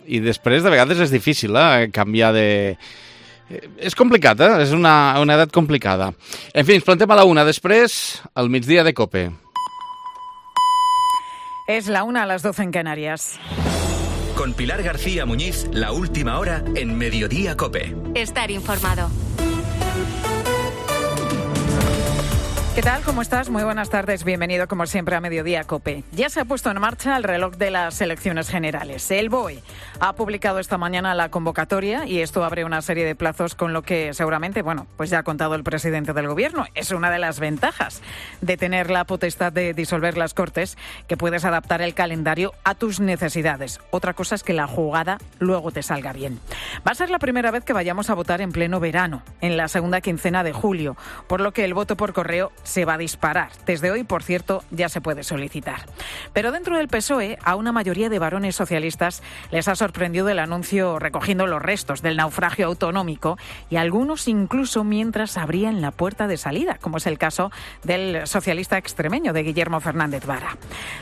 i després de vegades és difícil eh, canviar de... És complicat, eh? És una, una edat complicada. En fi, ens plantem a la una. Després, al migdia de COPE. Es la una a las doce en Canarias. Con Pilar García Muñiz, la última hora en Mediodía COPE. Estar informado. ¿Qué tal? ¿Cómo estás? Muy buenas tardes. Bienvenido, como siempre, a Mediodía COPE. Ya se ha puesto en marcha el reloj de las elecciones generales. El B O E ha publicado esta mañana la convocatoria y esto abre una serie de plazos con lo que seguramente, bueno, pues ya ha contado el presidente del Gobierno. Es una de las ventajas de tener la potestad de disolver las Cortes, que puedes adaptar el calendario a tus necesidades. Otra cosa es que la jugada luego te salga bien. Va a ser la primera vez que vayamos a votar en pleno verano, en la segunda quincena de julio, por lo que el voto por correo se va a disparar. Desde hoy, por cierto, ya se puede solicitar. Pero dentro del P S O E, a una mayoría de varones socialistas les ha sorprendido el anuncio recogiendo los restos del naufragio autonómico y algunos incluso mientras abrían la puerta de salida, como es el caso del socialista extremeño de Guillermo Fernández Vara.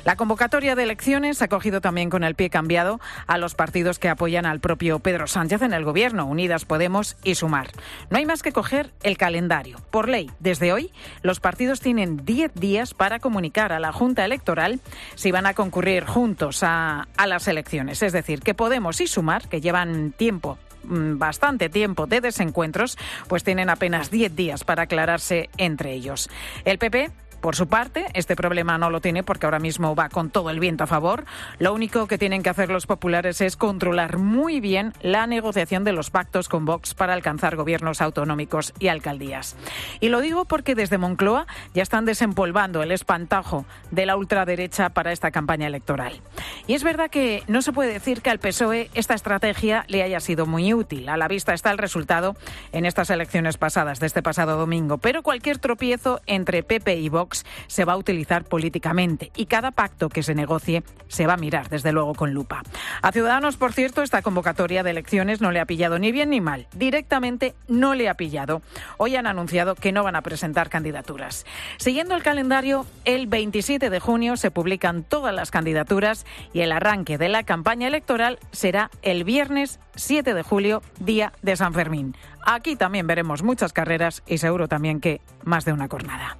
La convocatoria de elecciones ha cogido también con el pie cambiado a los partidos que apoyan al propio Pedro Sánchez en el Gobierno, Unidas Podemos y Sumar. No hay más que coger el calendario. Por ley, desde hoy, los partidos partidos tienen diez días para comunicar a la Junta Electoral si van a concurrir juntos a, a las elecciones. Es decir, que Podemos y Sumar, que llevan tiempo, bastante tiempo de desencuentros, pues tienen apenas diez días para aclararse entre ellos. El P P... Por su parte, este problema no lo tiene porque ahora mismo va con todo el viento a favor. Lo único que tienen que hacer los populares es controlar muy bien la negociación de los pactos con Vox para alcanzar gobiernos autonómicos y alcaldías. Y lo digo porque desde Moncloa ya están desempolvando el espantajo de la ultraderecha para esta campaña electoral. Y es verdad que no se puede decir que al P S O E esta estrategia le haya sido muy útil. A la vista está el resultado en estas elecciones pasadas, de este pasado domingo. Pero cualquier tropiezo entre P P y Vox se va a utilizar políticamente y cada pacto que se negocie se va a mirar, desde luego, con lupa. A Ciudadanos, por cierto, esta convocatoria de elecciones no le ha pillado ni bien ni mal. Directamente no le ha pillado. Hoy han anunciado que no van a presentar candidaturas. Siguiendo el calendario, el veintisiete de junio se publican todas las candidaturas y el arranque de la campaña electoral será el viernes siete de julio, día de San Fermín. Aquí también veremos muchas carreras y seguro también que más de una cornada.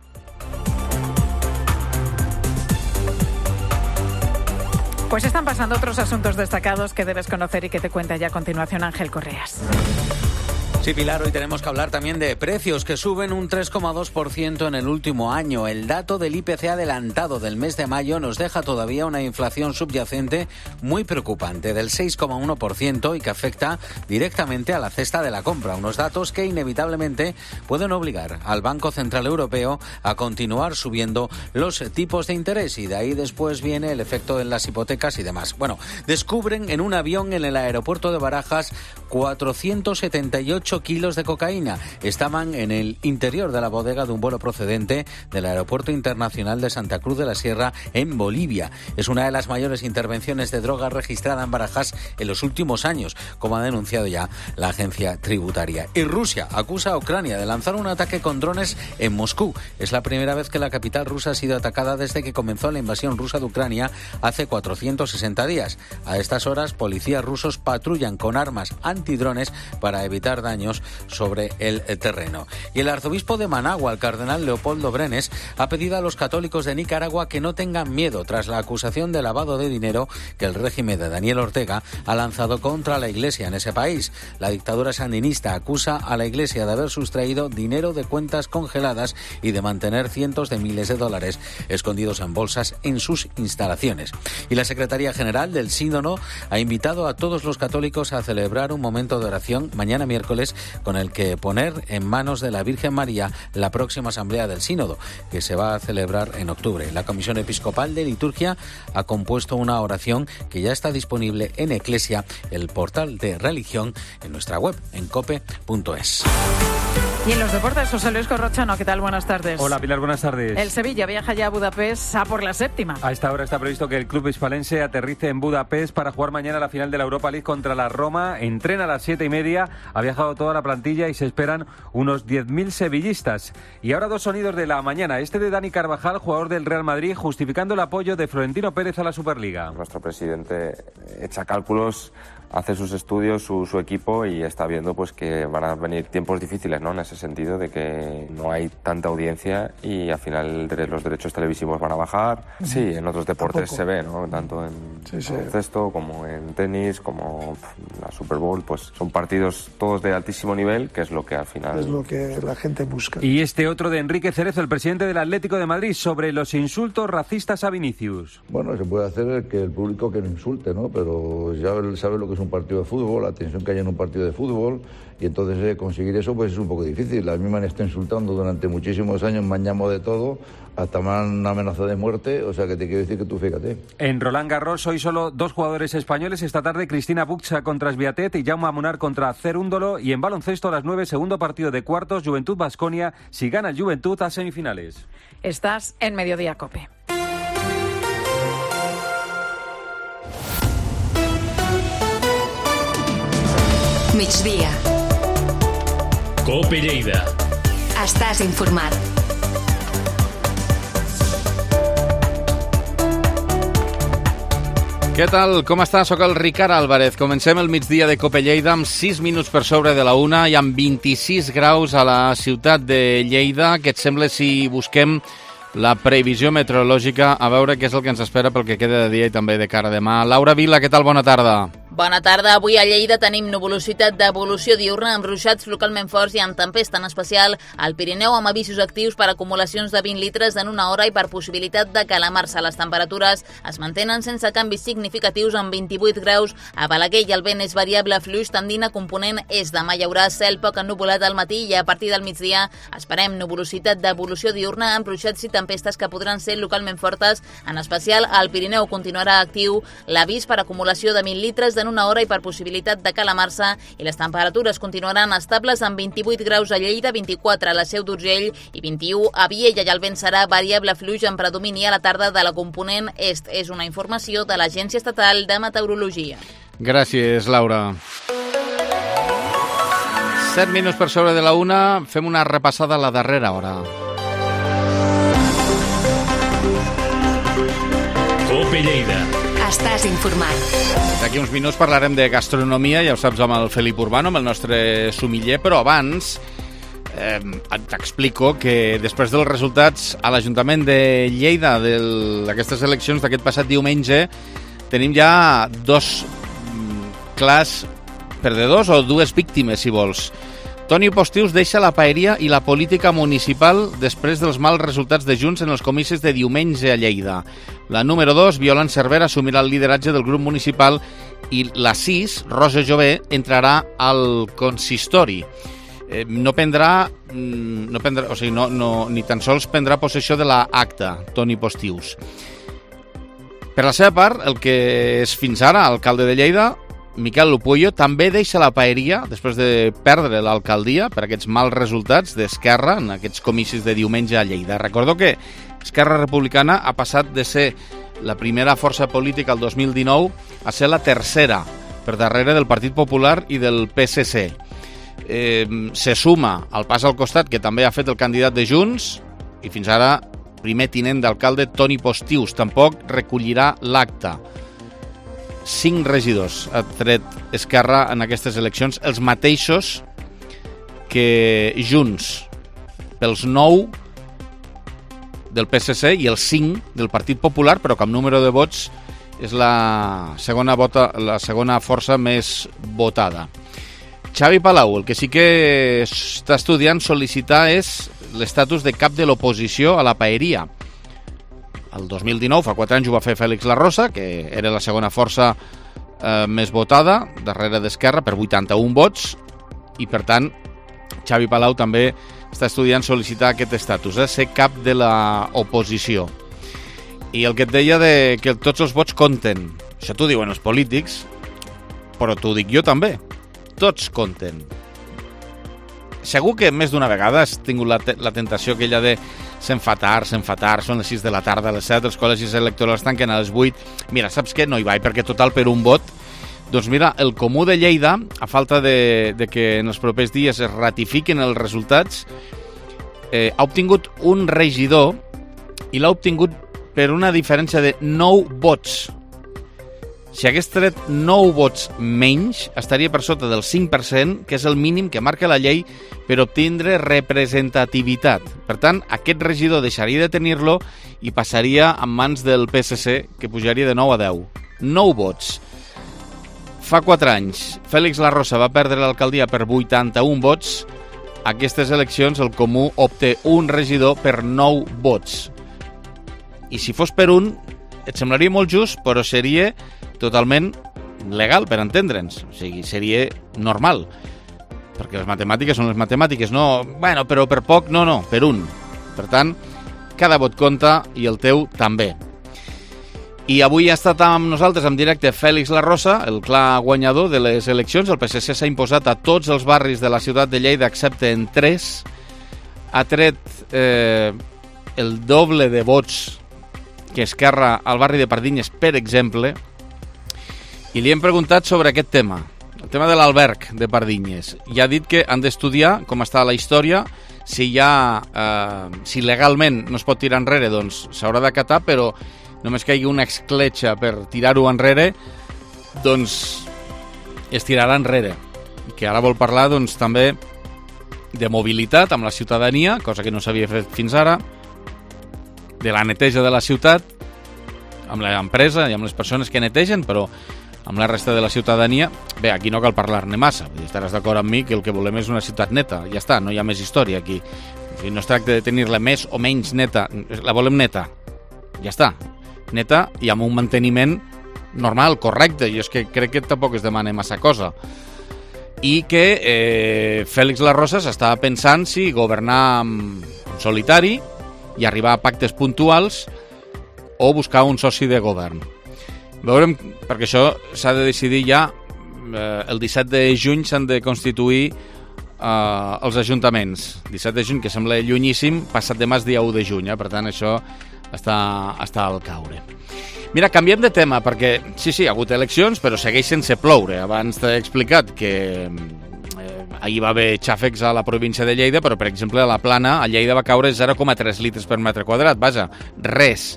Pues están pasando otros asuntos destacados que debes conocer y que te cuenta ya a continuación Ángel Correas. Sí, Pilar, hoy tenemos que hablar también de precios que suben un tres coma dos por ciento en el último año. El dato del I P C adelantado del mes de mayo nos deja todavía una inflación subyacente muy preocupante del seis coma uno por ciento y que afecta directamente a la cesta de la compra. Unos datos que inevitablemente pueden obligar al Banco Central Europeo a continuar subiendo los tipos de interés y de ahí después viene el efecto en las hipotecas y demás. Bueno, descubren en un avión en el aeropuerto de Barajas cuatrocientos setenta y ocho ocho kilos de cocaína. Estaban en el interior de la bodega de un vuelo procedente del Aeropuerto Internacional de Santa Cruz de la Sierra, en Bolivia. Es una de las mayores intervenciones de drogas registrada en Barajas en los últimos años, como ha denunciado ya la agencia tributaria. Y Rusia acusa a Ucrania de lanzar un ataque con drones en Moscú. Es la primera vez que la capital rusa ha sido atacada desde que comenzó la invasión rusa de Ucrania hace cuatrocientos sesenta días. A estas horas, policías rusos patrullan con armas antidrones para evitar daños sobre el terreno. Y el arzobispo de Managua, el cardenal Leopoldo Brenes, ha pedido a los católicos de Nicaragua que no tengan miedo tras la acusación de lavado de dinero que el régimen de Daniel Ortega ha lanzado contra la Iglesia en ese país. La dictadura sandinista acusa a la Iglesia de haber sustraído dinero de cuentas congeladas y de mantener cientos de miles de dólares escondidos en bolsas en sus instalaciones. Y la Secretaría General del Sínodo ha invitado a todos los católicos a celebrar un momento de oración mañana miércoles con el que poner en manos de la Virgen María la próxima asamblea del Sínodo, que se va a celebrar en octubre. La Comisión Episcopal de Liturgia ha compuesto una oración que ya está disponible en Eclesia, el portal de religión, en nuestra web, en cope punto es. Y en los deportes, José Luis Corrochano, ¿qué tal? Buenas tardes. Hola, Pilar, buenas tardes. El Sevilla viaja ya a Budapest a por la séptima. A esta hora está previsto que el club hispalense aterrice en Budapest para jugar mañana la final de la Europa League contra la Roma. Entrena a las siete y media, ha viajado toda la plantilla y se esperan unos diez mil sevillistas. Y ahora dos sonidos de la mañana. Este de Dani Carvajal, jugador del Real Madrid, justificando el apoyo de Florentino Pérez a la Superliga. Nuestro presidente echa cálculos, hace sus estudios, su, su equipo, y está viendo pues que van a venir tiempos difíciles, ¿no? En ese sentido de que no hay tanta audiencia y al final los derechos televisivos van a bajar. Sí, en otros deportes se ve, ¿no? Tanto en sí, sí. baloncesto como en tenis, como la Super Bowl, pues son partidos todos de altísimo nivel, que es lo que al final... Es lo que la gente busca. Y este otro de Enrique Cerezo, el presidente del Atlético de Madrid, sobre los insultos racistas a Vinicius. Bueno, se puede hacer que el público que no insulte, ¿no? Pero ya él sabe lo que es un partido de fútbol, la tensión que hay en un partido de fútbol, y entonces eh, conseguir eso pues es un poco difícil. A mí me han estado insultando durante muchísimos años, me han llamado de todo, hasta me han amenazado de muerte, o sea que te quiero decir que tú fíjate. En Roland Garros hoy solo dos jugadores españoles. Esta tarde Cristina Buxa contra Sviatet y Jaume Munar contra Cerúndolo. Y en baloncesto a las nueve, segundo partido de cuartos, Juventud Baskonia. Si gana el Juventud, a semifinales. Estás en Mediodía Cope. Migdia. Cope Lleida. Estàs informat. Què tal? Com està? Soc el Ricard Álvarez. Comencem el migdia de Cope Lleida amb sis minuts per sobre de la una i amb vint-i-sis graus a la ciutat de Lleida. Què et sembla si busquem la previsió meteorològica a veure què és el que ens espera pel que queda de dia i també de cara a demà? Laura Vila, què tal? Bona tarda. Bona tarda. Avui a Lleida tenim nuvolositat d'evolució diurna amb ruixats localment forts i amb tempesta, en especial al Pirineu, amb avisos actius per acumulacions de vint litres en una hora i per possibilitat de calamar-se. Les temperatures es mantenen sense canvis significatius amb vint-i-vuit graus a Balaguer i el vent és variable fluix tendint a component est. Demà hi haurà cel poc ennuvolat al matí i a partir del migdia esperem nuvolositat d'evolució diurna amb ruixats i tempestes que podran ser localment fortes, en especial al Pirineu. Continuarà actiu l'avís per acumulació de vint litres en una hora i per possibilitat de calamar-se, i les temperatures continuaran estables amb vint-i-vuit graus a Lleida, vint-i-quatre a la Seu d'Urgell i vint-i-u a Viella, i el vent serà variable fluix amb predomini a la tarda de la component est. És una informació de l'Agència Estatal de Meteorologia. Gràcies, Laura. Set minuts per sobre de la una, fem una repassada a la darrera hora. Cope Lleida. Estàs informat. D'aquí uns minuts parlarem de gastronomia, ja ho saps, amb el Felip Urbano, amb el nostre sumiller, però abans eh, t'explico que després dels resultats a l'Ajuntament de Lleida d'aquestes eleccions d'aquest passat diumenge tenim ja dos clars perdedors o dues víctimes, si vols. Toni Postius deixa la paeria i la política municipal després dels mals resultats de Junts en els comicis de diumenge a Lleida. La número dos, Violant Cervera, assumirà el lideratge del grup municipal i la sis, Rosa Jové, entrarà al consistori. Eh, no prendrà, no prendrà o sigui, no, no, ni tan sols prendrà possessió de l'acta, Toni Postius. Per la seva part, el que és fins ara alcalde de Lleida, Miquel Lupullo, també deixa la paeria després de perdre l'alcaldia per aquests mals resultats d'Esquerra en aquests comicis de diumenge a Lleida. Recordo que Esquerra Republicana ha passat de ser la primera força política el dos mil dinou a ser la tercera, per darrere del Partit Popular i del P S C. Eh, se suma al pas al costat que també ha fet el candidat de Junts i fins ara primer tinent d'alcalde Toni Postius. Tampoc recollirà l'acta. Cinc regidors ha tret Esquerra en aquestes eleccions, els mateixos que Junts, pels nou del P S C i els cinc del Partit Popular, però que amb número de vots és la segona, vota, la segona força més votada. Xavi Palau, el que sí que està estudiant sol·licitar és l'estatus de cap de l'oposició a la paeria. El dos mil dinou, fa quatre anys, ho va fer Fèlix Larrosa, que era la segona força eh, més votada, darrere d'Esquerra, per vuitanta-un vots, i per tant, Xavi Palau també està estudiant sol·licitar aquest estatus, eh, ser cap de l'oposició. I el que et deia de que tots els vots compten, això t'ho diuen els polítics, però t'ho dic jo també, tots compten. Segur que més d'una vegada has tingut la, te la tentació aquella de se'n fa tard, se'n fa tard, són les sis de la tarda, a les set, els col·legis electorals tanquen a les vuit. Mira, saps què? No hi vaig, perquè total per un vot. Doncs mira, el Comú de Lleida, a falta de, de que en els propers dies es ratifiquen els resultats, eh, ha obtingut un regidor i l'ha obtingut per una diferència de nou vots. Si hagués tret nou vots menys, estaria per sota del cinc per cent, que és el mínim que marca la llei per obtindre representativitat. Per tant, aquest regidor deixaria de tenir-lo i passaria en mans del P S C, que pujaria de nou a deu. nou vots. Fa quatre anys, Fèlix Larrosa va perdre l'alcaldia per vuitanta-un vots. Aquestes eleccions, el Comú obté un regidor per nou vots. I si fos per un, et semblaria molt just, però seria totalment legal, per entendre'ns. O sigui, seria normal. Perquè les matemàtiques són les matemàtiques. No, bueno, però per poc, no, no, per un. Per tant, cada vot compta i el teu també. I avui ha estat amb nosaltres en directe Fèlix Larrosa, el clar guanyador de les eleccions. El P S C s'ha imposat a tots els barris de la ciutat de Lleida, excepte en tres. Ha tret eh, el doble de vots que Esquerra al barri de Pardinyes, per exemple, i li hem preguntat sobre aquest tema, el tema de l'alberg de Pardinyes. I ha dit que han d'estudiar com està la història, si hi ha, eh, si legalment no es pot tirar enrere, doncs s'haurà d'acatar, però només que hi hagi una escletxa per tirar-ho enrere, doncs es tirarà enrere. I que ara vol parlar, doncs, també de mobilitat amb la ciutadania, cosa que no s'havia fet fins ara, de la neteja de la ciutat, amb l'empresa i amb les persones que netegen, però amb la resta de la ciutadania, bé, aquí no cal parlar-ne massa. Estaràs d'acord amb mi que el que volem és una ciutat neta. Ja està, no hi ha més història aquí. No es tracta de tenir-la més o menys neta, la volem neta. Ja està, neta i amb un manteniment normal, correcte. Jo és que crec que tampoc es demana massa cosa. I que eh, Fèlix Larrosa s'estava pensant si governar en solitari i arribar a pactes puntuals o buscar un soci de govern. Veurem, perquè això s'ha de decidir ja, eh, el disset de juny s'han de constituir eh, els ajuntaments. disset de juny, que sembla llunyíssim, passat demà és dia u de juny, eh? Per tant això està, està al caure. Mira, canviem de tema, perquè sí, sí, ha hagut eleccions, però segueix sense ploure. Abans t'he explicat que eh, ahir va haver xàfecs a la província de Lleida, però, per exemple, a la Plana, a Lleida va caure zero coma tres litres per metre quadrat. Vaja, res.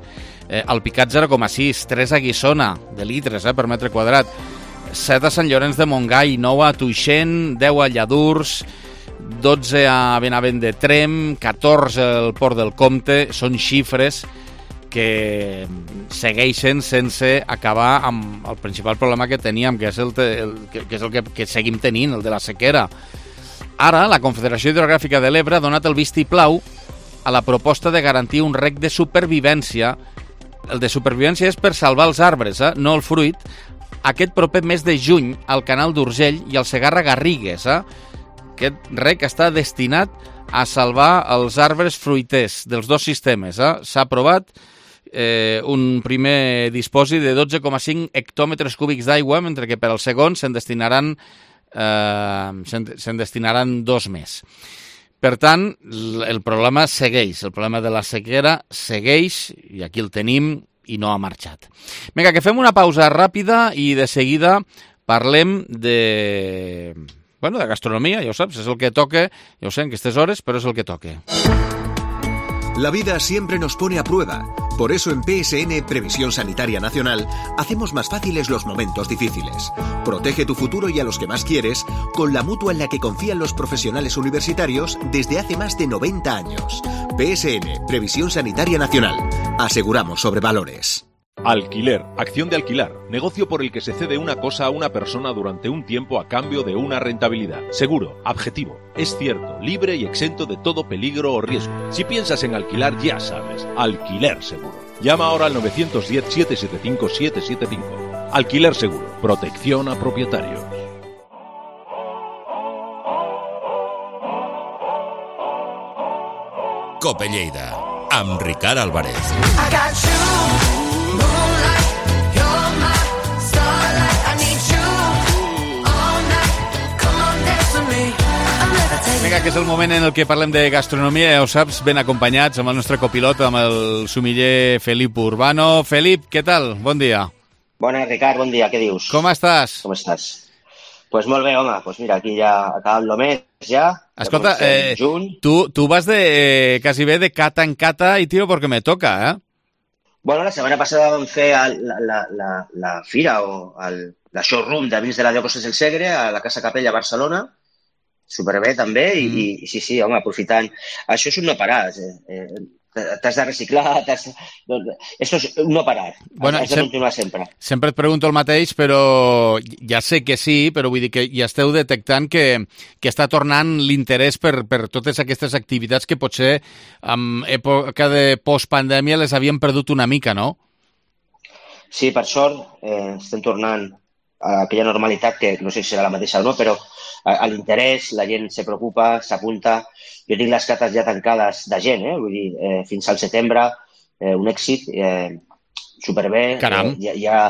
Eh, al Picat zero coma sis, tres a Guissona de litres eh, per metre quadrat, set a Sant Llorenç de Montgai, nou a Tuixén, deu a Lladurs, dotze a Benavent de Trem, catorze al Port del Comte. Són xifres que segueixen sense acabar amb el principal problema que teníem, que és el, te, el, que, que, és el que, que seguim tenint, el de la sequera. Ara, la Confederació Hidrogràfica de l'Ebre ha donat el vistiplau a la proposta de garantir un rec de supervivència. El de supervivència és per salvar els arbres, eh? No el fruit. Aquest proper mes de juny al canal d'Urgell i al Segarra-Garrigues. Eh? Aquest rec està destinat a salvar els arbres fruiters dels dos sistemes. Eh? S'ha aprovat eh, un primer disposi de dotze coma cinc hectòmetres cúbics d'aigua, mentre que per al segon se'n destinaran, eh, se'n, se'n destinaran dos més. Per tant, el problema segueix, el problema de la sequera segueix, i aquí el tenim, i no ha marxat. Vinga, que fem una pausa ràpida i de seguida parlem de... Bueno, de gastronomia, ja ho saps, és el que toca, ja ho sé, en aquestes hores, però és el que toca. La vida siempre nos pone a prueba. Por eso en P S N Previsión Sanitaria Nacional hacemos más fáciles los momentos difíciles. Protege tu futuro y a los que más quieres con la mutua en la que confían los profesionales universitarios desde hace más de noventa años. P S N Previsión Sanitaria Nacional. Aseguramos sobre valores. Alquiler, acción de alquilar, negocio por el que se cede una cosa a una persona durante un tiempo a cambio de una rentabilidad. Seguro, objetivo, es cierto, libre y exento de todo peligro o riesgo. Si piensas en alquilar, ya sabes, Alquiler Seguro. Llama ahora al nueve uno cero, siete siete cinco, siete siete cinco. Alquiler Seguro, protección a propietarios. Cope Lleida, amb Ricard Álvarez. Vinga, que és el moment en el que parlem de gastronomia, ja ho saps, ben acompanyats amb el nostre copilot, amb el sumiller Felip Urbano. Felip, què tal? Bon dia. Bona, Ricard, bon dia, què dius? Com estàs? Com estàs? Pues molt bé, home, pues mira, aquí ja acabant el mes, ja. Escolta, eh, tu, tu vas de eh, quasi bé de cata en cata i tiro porque me toca, eh? Bueno, la setmana passada vam fer el, la, la, la, la fira o el, la showroom de vins de la Diòcosis del Segre a la Casa Capella a Barcelona. Superbé, també, i, mm. i sí, sí, home, aprofitant. Això és un no parar. Eh, eh, t'has de reciclar, t'has... Esto és un no parar. Bueno, has de sem continuar sempre. Sempre et pregunto el mateix, però ja sé que sí, però vull dir que ja esteu detectant que, que està tornant l'interès per, per totes aquestes activitats que potser en època de postpandèmia les havien perdut una mica, no? Sí, per sort, eh, estem tornant a aquella normalitat que no sé si serà la mateixa o no, però a l'interès, la gent se preocupa, s'apunta. Jo tinc les cates ja tancades de gent, eh? Vull dir, eh, fins al setembre, eh, un èxit, eh, superbé. Caram. Eh, hi, hi, ha,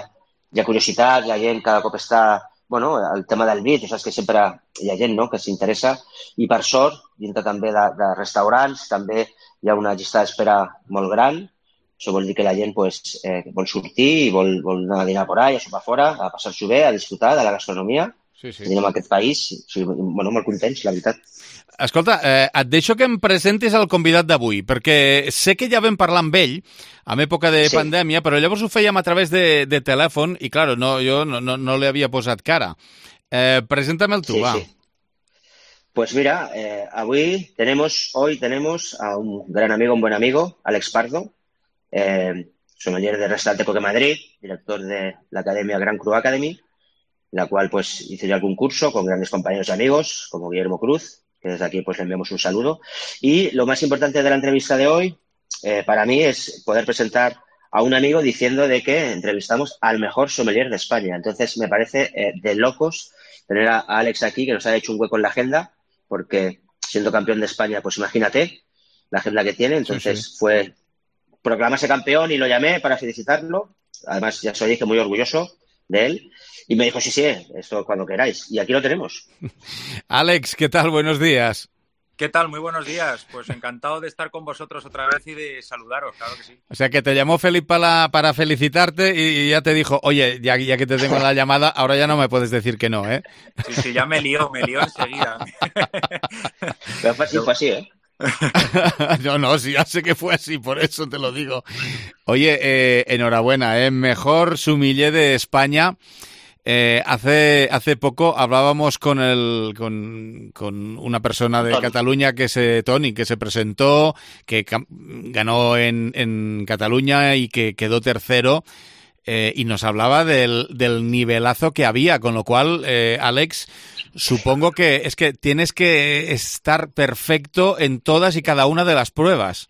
hi ha curiositat, la gent cada cop està... Bueno, el tema del vi, tu saps que sempre hi ha gent, no?, que s'interessa. I per sort, dintre també de, de restaurants, també hi ha una llista d'espera molt gran. Això vol dir que la gent pues, eh, vol sortir i vol, vol anar a dinar por ahí, a sopar fora, a passar-s'ho bé, a disfrutar de la gastronomia. Sí, sí. Tenim en aquest país, sí, bueno, molt contents, la veritat. Escolta, eh, et deixo que em presentis el convidat d'avui, perquè sé que ja vam parlar amb ell en època de sí. pandèmia, però llavors ho fèiem a través de, de telèfon i, clar, no, jo no, no, no li havia posat cara. Eh, Preséntame el tu, sí, va. Sí. Pues mira, eh, avui tenemos, hoy tenemos a un gran amigo, un buen amigo, Alex Pardo, eh, sommelier de Restaurante Coque Madrid, director de la Academia Gran Cru Academy, la cual pues hice yo algún curso con grandes compañeros y amigos, como Guillermo Cruz, que desde aquí pues le enviamos un saludo. Y lo más importante de la entrevista de hoy, eh, para mí, es poder presentar a un amigo diciendo de que entrevistamos al mejor sommelier de España. Entonces me parece eh, de locos tener a Alex aquí, que nos ha hecho un hueco en la agenda, porque siendo campeón de España, pues imagínate la agenda que tiene. Entonces sí, sí. fue proclamarse campeón y lo llamé para felicitarlo. Además, ya soy muy orgulloso de él. Y me dijo, sí, sí, esto cuando queráis. Y aquí lo tenemos. Alex, ¿qué tal? Buenos días. ¿Qué tal? Muy buenos días. Pues encantado de estar con vosotros otra vez y de saludaros, claro que sí. O sea, que te llamó Felipe para, para felicitarte y ya te dijo, oye, ya, ya que te tengo la llamada, ahora ya no me puedes decir que no, ¿eh? Sí, sí, ya me lió, me lió enseguida. Pero fue así, fue así, ¿eh? No, no, sí, ya sé que fue así, por eso te lo digo. Oye, eh, enhorabuena, ¿eh? Mejor sommelier de España. Eh, hace, hace poco hablábamos con el con, con una persona de Tony. Cataluña, que se Tony, que se presentó, que ganó en, en Cataluña y que quedó tercero, eh, y nos hablaba del, del nivelazo que había, con lo cual, eh, Alex, supongo que es que tienes que estar perfecto en todas y cada una de las pruebas.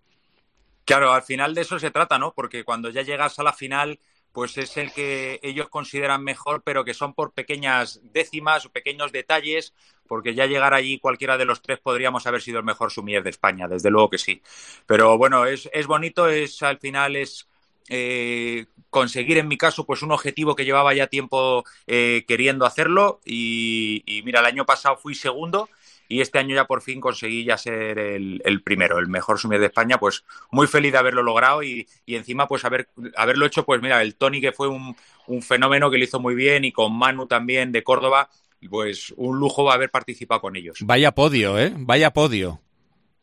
Claro, al final de eso se trata, ¿no? Porque cuando ya llegas a la final, pues es el que ellos consideran mejor, pero que son por pequeñas décimas o pequeños detalles, porque ya llegar allí cualquiera de los tres podríamos haber sido el mejor sommelier de España, desde luego que sí. Pero bueno, es, es bonito, es al final es eh, conseguir, en mi caso, pues un objetivo que llevaba ya tiempo eh, queriendo hacerlo y, y mira, el año pasado fui segundo y este año ya por fin conseguí ya ser el, el primero, el mejor sommelier de España. Pues muy feliz de haberlo logrado y, y encima pues haber, haberlo hecho, pues mira, el Tony, que fue un, un fenómeno, que lo hizo muy bien, y con Manu también de Córdoba, pues un lujo haber participado con ellos. Vaya podio, ¿eh? Vaya podio.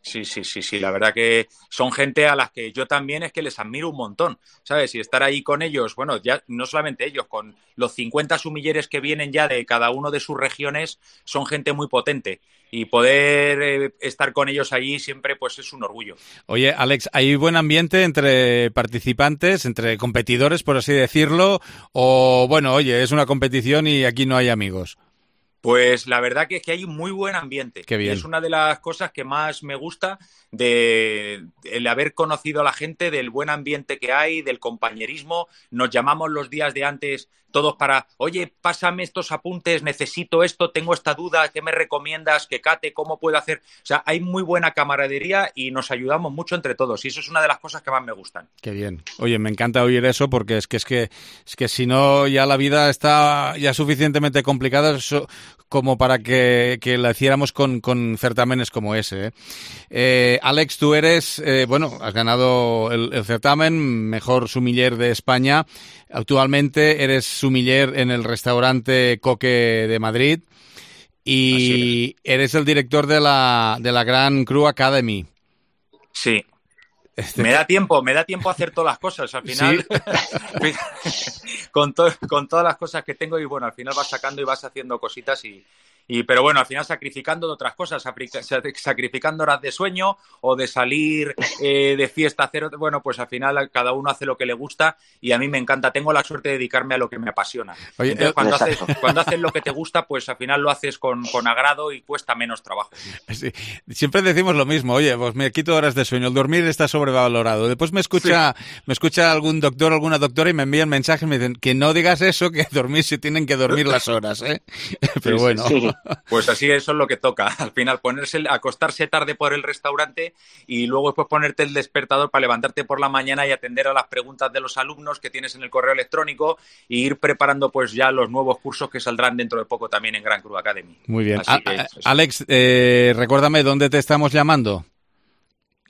Sí, sí, sí, sí, la verdad que son gente a las que yo también es que les admiro un montón, ¿sabes? Y estar ahí con ellos, bueno, ya no solamente ellos, con los cincuenta sumilleres que vienen ya de cada uno de sus regiones, son gente muy potente. Y poder eh, estar con ellos allí siempre pues es un orgullo. Oye, Alex, ¿hay buen ambiente entre participantes, entre competidores, por así decirlo? O, bueno, oye, es una competición y aquí no hay amigos. Pues la verdad que es que hay un muy buen ambiente. Qué bien. Y es una de las cosas que más me gusta de el haber conocido a la gente, del buen ambiente que hay, del compañerismo. Nos llamamos los días de antes todos para, oye, pásame estos apuntes, necesito esto, tengo esta duda, ¿qué me recomiendas? ¿Qué cate? ¿Cómo puedo hacer? O sea, hay muy buena camaradería y nos ayudamos mucho entre todos. Y eso es una de las cosas que más me gustan. Qué bien. Oye, me encanta oír eso porque es que es que es que si no ya la vida está ya suficientemente complicada so, como para que, que la hiciéramos con, con certámenes como ese. ¿eh? Eh, Alex, tú eres, eh, bueno, has ganado el, el certamen mejor sumiller de España. Actualmente eres sumiller en el restaurante Coque de Madrid y eres el director de la de la Grand Cru Academy. Sí. Este... Me da tiempo, me da tiempo a hacer todas las cosas. Al final, ¿sí? con, to con todas las cosas que tengo y bueno, al final vas sacando y vas haciendo cositas y, y pero bueno, al final sacrificando de otras cosas, sacrificando horas de sueño o de salir eh, de fiesta, hacer, bueno, pues al final cada uno hace lo que le gusta y a mí me encanta. Tengo la suerte de dedicarme a lo que me apasiona. Oye, Entonces, eh, cuando, haces, cuando haces lo que te gusta, pues al final lo haces con, con agrado y cuesta menos trabajo. Sí. Siempre decimos lo mismo, oye, pues me quito horas de sueño, el dormir está sobrevalorado. Después me escucha, sí. me escucha algún doctor o alguna doctora y me envían mensajes y me dicen que no digas eso, que dormir si tienen que dormir las horas, ¿eh? Pero sí, bueno. Sí, sí. Pues así eso es lo que toca. Al final ponerse, acostarse tarde por el restaurante y luego después ponerte el despertador para levantarte por la mañana y atender a las preguntas de los alumnos que tienes en el correo electrónico e ir preparando pues ya los nuevos cursos que saldrán dentro de poco también en Grand Cru Academy. Muy bien. Así A que, a Alex, eh, recuérdame dónde te estamos llamando.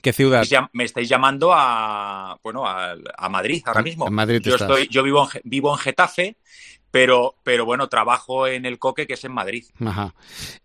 ¿Qué ciudad? Me estáis llamando a, bueno, a, a Madrid ahora mismo. En Madrid yo estás. estoy, yo vivo en, vivo en Getafe, pero, pero bueno, trabajo en el Coque, que es en Madrid. Ajá.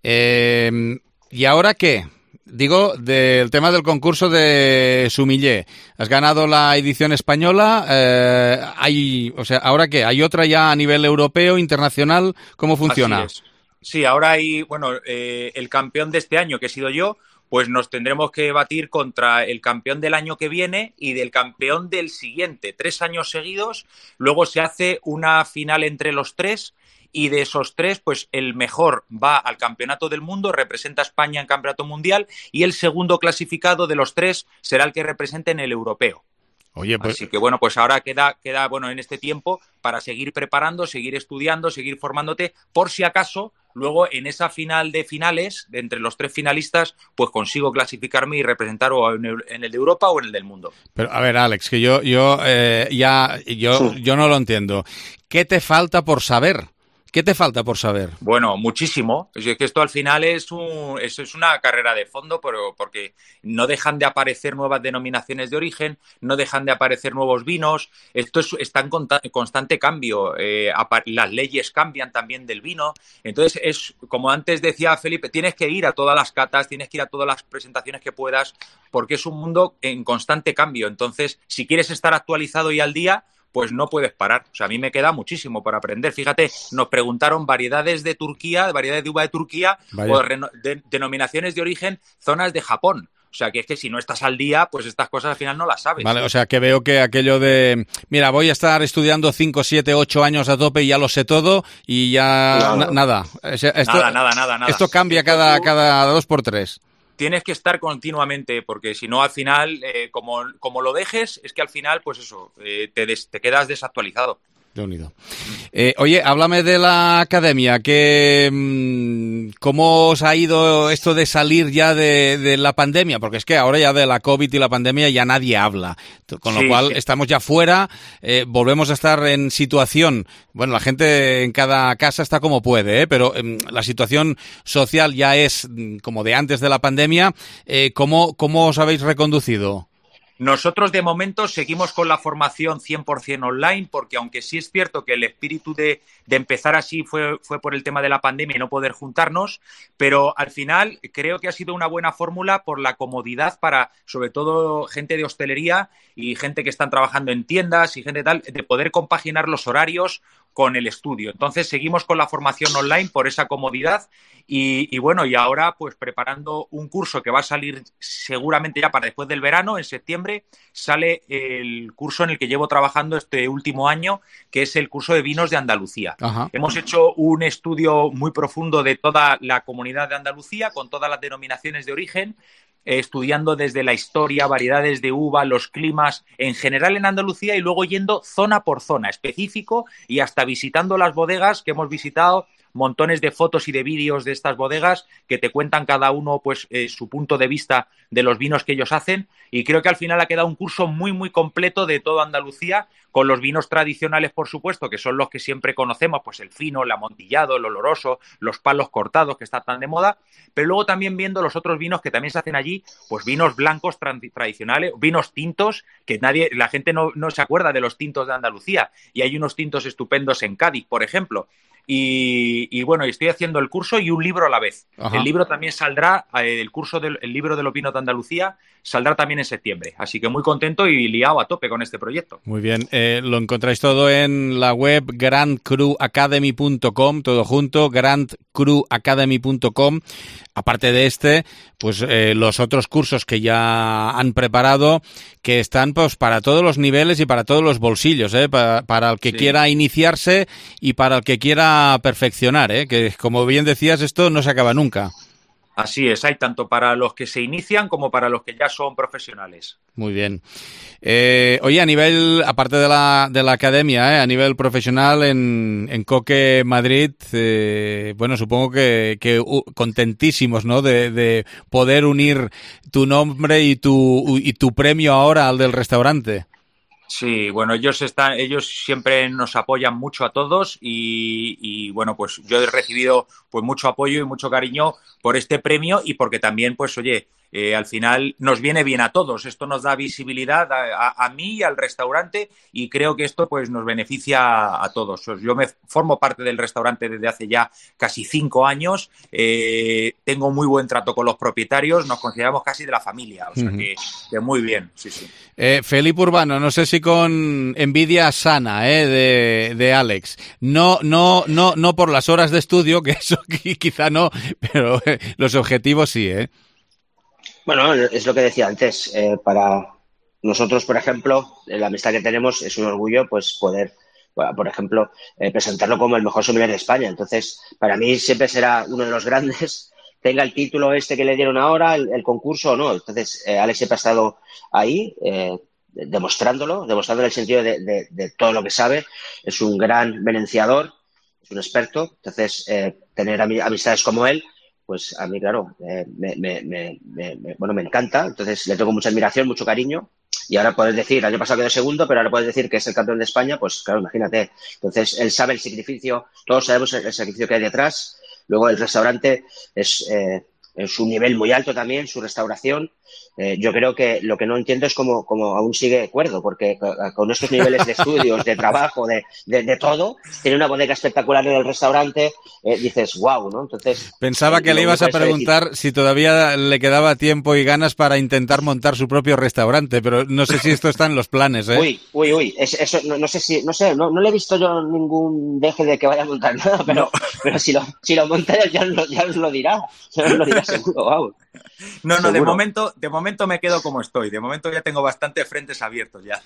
Eh, ¿Y ahora qué? Digo, del tema del concurso de Sumiller. Has ganado la edición española. Eh, hay, o sea, ¿ahora qué? ¿Hay otra ya a nivel europeo, internacional? ¿Cómo funciona? Así es. Sí, ahora hay, bueno, eh, el campeón de este año, que he sido yo, pues nos tendremos que batir contra el campeón del año que viene y del campeón del siguiente, tres años seguidos. Luego se hace una final entre los tres y de esos tres, pues el mejor va al campeonato del mundo, representa a España en campeonato mundial y el segundo clasificado de los tres será el que represente en el europeo. Oye, pues... Así que bueno, pues ahora queda, queda bueno en este tiempo para seguir preparando, seguir estudiando, seguir formándote, por si acaso luego en esa final de finales, de entre los tres finalistas, pues consigo clasificarme y representar o en el, en el de Europa o en el del mundo. Pero a ver, Alex, que yo yo eh, ya yo sí. yo no lo entiendo. ¿Qué te falta por saber? ¿Qué te falta por saber? Bueno, muchísimo. Es que esto al final es, un, es, es una carrera de fondo, pero porque no dejan de aparecer nuevas denominaciones de origen, no dejan de aparecer nuevos vinos. Esto es, está en constante cambio. Eh, las leyes cambian también del vino. Entonces, es como antes decía Felipe, tienes que ir a todas las catas, tienes que ir a todas las presentaciones que puedas, porque es un mundo en constante cambio. Entonces, si quieres estar actualizado y al día, pues no puedes parar. O sea, a mí me queda muchísimo por aprender. Fíjate, nos preguntaron variedades de Turquía, variedades de uva de Turquía Vaya. o de, denominaciones de origen, zonas de Japón. O sea, que es que si no estás al día, pues estas cosas al final no las sabes. Vale, o sea, que veo que aquello de, mira, voy a estar estudiando cinco, siete, ocho años a tope y ya lo sé todo y ya claro. na nada. O sea, esto, nada, nada, nada, nada. Esto cambia esto cada, tú... cada dos por tres. Tienes que estar continuamente, porque si no, al final, eh, como, como lo dejes, es que al final, pues eso, eh, te, des, te quedas desactualizado. Reunido. Eh, oye, háblame de la academia, que ¿cómo os ha ido esto de salir ya de, de la pandemia? Porque es que ahora ya de la COVID y la pandemia ya nadie habla, con lo sí, cual sí. estamos ya fuera, eh, volvemos a estar en situación, bueno, la gente en cada casa está como puede, ¿eh? Pero eh, la situación social ya es como de antes de la pandemia. Eh, ¿cómo, ¿Cómo os habéis reconducido? Nosotros de momento seguimos con la formación cien por ciento online, porque aunque sí es cierto que el espíritu de, de empezar así fue, fue por el tema de la pandemia y no poder juntarnos, pero al final creo que ha sido una buena fórmula por la comodidad para, sobre todo, gente de hostelería y gente que están trabajando en tiendas y gente tal, de poder compaginar los horarios con el estudio. Entonces seguimos con la formación online por esa comodidad y, y bueno, y ahora pues preparando un curso que va a salir seguramente ya para después del verano, en septiembre, sale el curso en el que llevo trabajando este último año, que es el curso de vinos de Andalucía. Ajá. Hemos hecho un estudio muy profundo de toda la comunidad de Andalucía, con todas las denominaciones de origen, eh, estudiando desde la historia, variedades de uva, los climas, en general en Andalucía, y luego yendo zona por zona, específico, y hasta visitando las bodegas que hemos visitado, montones de fotos y de vídeos de estas bodegas que te cuentan cada uno pues eh, su punto de vista de los vinos que ellos hacen, y creo que al final ha quedado un curso muy muy completo de toda Andalucía, con los vinos tradicionales, por supuesto, que son los que siempre conocemos, pues el fino, el amontillado, el oloroso, los palos cortados, que están tan de moda, pero luego también viendo los otros vinos que también se hacen allí, pues vinos blancos tra- tradicionales, vinos tintos, que nadie, la gente no, no se acuerda de los tintos de Andalucía, y hay unos tintos estupendos en Cádiz, por ejemplo. Y, y bueno, estoy haciendo el curso y un libro a la vez. Ajá. El libro también saldrá, eh, el curso del el libro de los vinos de Andalucía saldrá también en septiembre. Así que muy contento y liado a tope con este proyecto. Muy bien, eh, lo encontráis todo en la web grand cru academy punto com, todo junto, grand cru academy punto com. Aparte de este, pues eh, los otros cursos que ya han preparado, que están pues para todos los niveles y para todos los bolsillos, ¿eh? para, para el que Sí. quiera iniciarse y para el que quiera perfeccionar, ¿eh? Que como bien decías, esto no se acaba nunca. Así es, hay tanto para los que se inician como para los que ya son profesionales. Muy bien. Eh, oye, a nivel, aparte de la, de la academia, eh, a nivel profesional en, en Coque Madrid, eh, bueno, supongo que, que uh, contentísimos, ¿no? De, de poder unir tu nombre y tu, y tu premio ahora al del restaurante. Sí, bueno, ellos están, ellos siempre nos apoyan mucho a todos y, y bueno, pues yo he recibido pues mucho apoyo y mucho cariño por este premio y porque también, pues oye, eh, al final nos viene bien a todos. Esto nos da visibilidad a, a, a mí y al restaurante y creo que esto pues nos beneficia a todos. Yo me formo parte del restaurante desde hace ya casi cinco años, eh, tengo muy buen trato con los propietarios, nos consideramos casi de la familia, o sea Uh-huh. que, que muy bien, sí, sí. Eh, Felipe Urbano, no sé si con envidia sana, eh, de, de Alex. No, no, no, no por las horas de estudio, que eso quizá no, pero eh, los objetivos sí, eh. Bueno, es lo que decía antes. Eh, para nosotros, por ejemplo, la amistad que tenemos es un orgullo, pues poder, bueno, por ejemplo, eh, presentarlo como el mejor sommelier de España. Entonces, para mí siempre será uno de los grandes, tenga el título este que le dieron ahora, el, el concurso o no. Entonces, eh, Alex siempre ha estado ahí, eh, demostrándolo, demostrando el sentido de, de, de todo lo que sabe. Es un gran venenciador, es un experto. Entonces, eh, tener ami- amistades como él, pues a mí, claro, eh, me, me, me, me, me- bueno, me encanta. Entonces, le tengo mucha admiración, mucho cariño. Y ahora puedes decir, el año pasado quedó segundo, pero ahora puedes decir que es el campeón de España, pues claro, imagínate. Entonces, él sabe el sacrificio, todos sabemos el, el sacrificio que hay detrás. Luego, el restaurante es, eh, es un nivel muy alto también, su restauración. Eh, yo creo que lo que no entiendo es cómo, cómo aún sigue cuerdo, porque con estos niveles de estudios, de trabajo, de, de, de todo, tiene una bodega espectacular en el restaurante, eh, dices, wow, ¿no? Entonces Pensaba que eh, le ibas a único es preguntar decir, si todavía le quedaba tiempo y ganas para intentar montar su propio restaurante, pero no sé si esto está en los planes, ¿eh? Uy, uy, uy, es- eso no, no sé si, no sé, no, no le he visto yo ningún deje de que vaya a montar nada, pero, pero si lo, si lo monta él ya os lo, ya os lo dirá, ya os lo dirá seguro, wow. No, no, Seguro. de momento, de momento me quedo como estoy. De momento ya tengo bastantes frentes abiertos ya.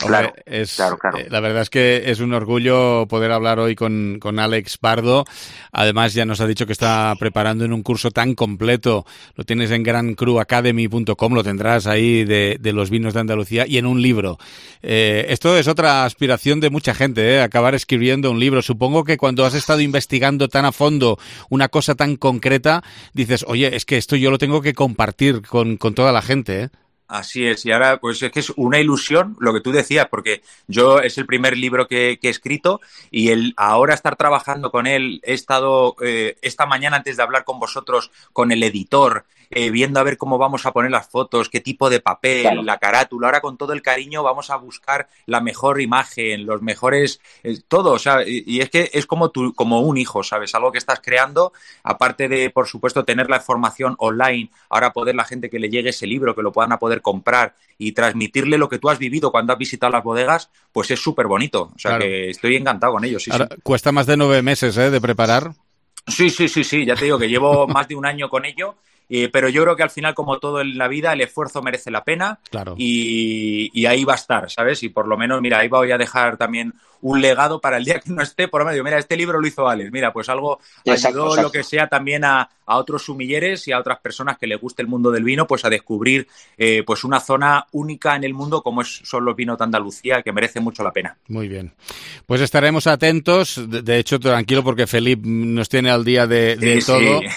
Hombre, es, claro, claro. Eh, la verdad es que es un orgullo poder hablar hoy con, con Alex Pardo. Además, ya nos ha dicho que está preparando en un curso tan completo. Lo tienes en gran cru academy punto com, lo tendrás ahí de, de los vinos de Andalucía y en un libro. Eh, esto es otra aspiración de mucha gente, ¿eh? Acabar escribiendo un libro. Supongo que cuando has estado investigando tan a fondo una cosa tan concreta, dices, oye, es que esto yo lo tengo que compartir con, con toda la gente, ¿eh? Así es, y ahora pues es que es una ilusión lo que tú decías, porque yo es el primer libro que, que he escrito y el ahora estar trabajando con él, he estado eh, esta mañana antes de hablar con vosotros con el editor, eh, viendo a ver cómo vamos a poner las fotos, qué tipo de papel, claro. La carátula, ahora con todo el cariño vamos a buscar la mejor imagen, los mejores, eh, todo, o sea, y, y es que es como, tu, como un hijo, ¿sabes? Algo que estás creando, aparte de, por supuesto, tener la información online, ahora poder la gente que le llegue ese libro, que lo puedan a poder comprar y transmitirle lo que tú has vivido cuando has visitado las bodegas, pues es súper bonito. O sea, claro. Que estoy encantado con ello. Sí, Ahora, sí. Cuesta más de nueve meses, ¿eh? De preparar. Sí, sí, sí, sí. Ya te digo que llevo más de un año con ello. Eh, pero yo creo que al final, como todo en la vida, el esfuerzo merece la pena. Claro. y, y ahí va a estar, ¿sabes? Y por lo menos, mira, ahí voy a dejar también un legado para el día que no esté, por lo menos, mira, este libro lo hizo Alex, mira, pues algo exacto, ayudó exacto. lo que sea también a, a otros sumilleres y a otras personas que les guste el mundo del vino, pues a descubrir eh, pues una zona única en el mundo como es, son los vinos de Andalucía, que merece mucho la pena. Muy bien. Pues estaremos atentos, de, de hecho, tranquilo, porque Felipe nos tiene al día de, de sí, todo. Sí.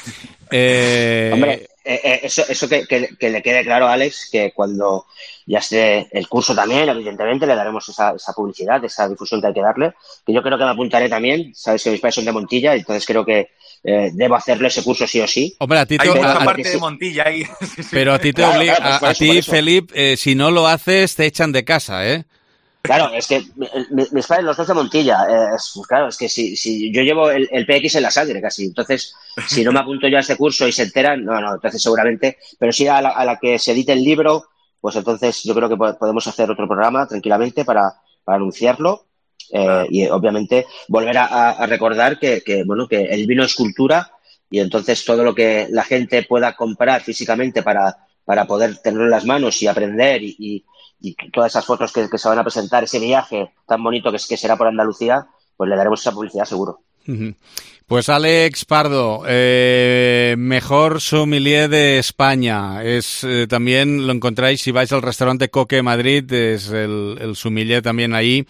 Eh... Hombre, eh, eh, eso, eso que, que, que le quede claro a Alex, que cuando ya esté el curso también, evidentemente le daremos esa, esa publicidad, esa difusión que hay que darle, que yo creo que me apuntaré también, sabes que mis padres son de Montilla, entonces creo que eh, debo hacerle ese curso sí o sí. Hombre, a ti te hay mucha a, parte a, de Montilla ahí. Pero a ti te claro, obliga, claro, pues a, a eso, ti, Felipe, eh, si no lo haces, te echan de casa, ¿eh? Claro, es que mi, mis padres, los dos de Montilla, eh, es, claro, es que si, si yo llevo el, el P X en la sangre casi, entonces si no me apunto yo a este curso y se enteran, no, no, entonces seguramente, pero sí a la, a la que se edite el libro, pues entonces yo creo que podemos hacer otro programa tranquilamente para, para anunciarlo eh, y obviamente volver a, a recordar que, que, bueno, que el vino es cultura y entonces todo lo que la gente pueda comprar físicamente para, para poder tenerlo en las manos y aprender y, y y todas esas fotos que, que se van a presentar, ese viaje tan bonito que, que será por Andalucía, pues le daremos esa publicidad seguro. Pues Alex Pardo, eh, mejor sommelier de España. Es eh, también lo encontráis si vais al restaurante Coque Madrid, es el, el sommelier también ahí.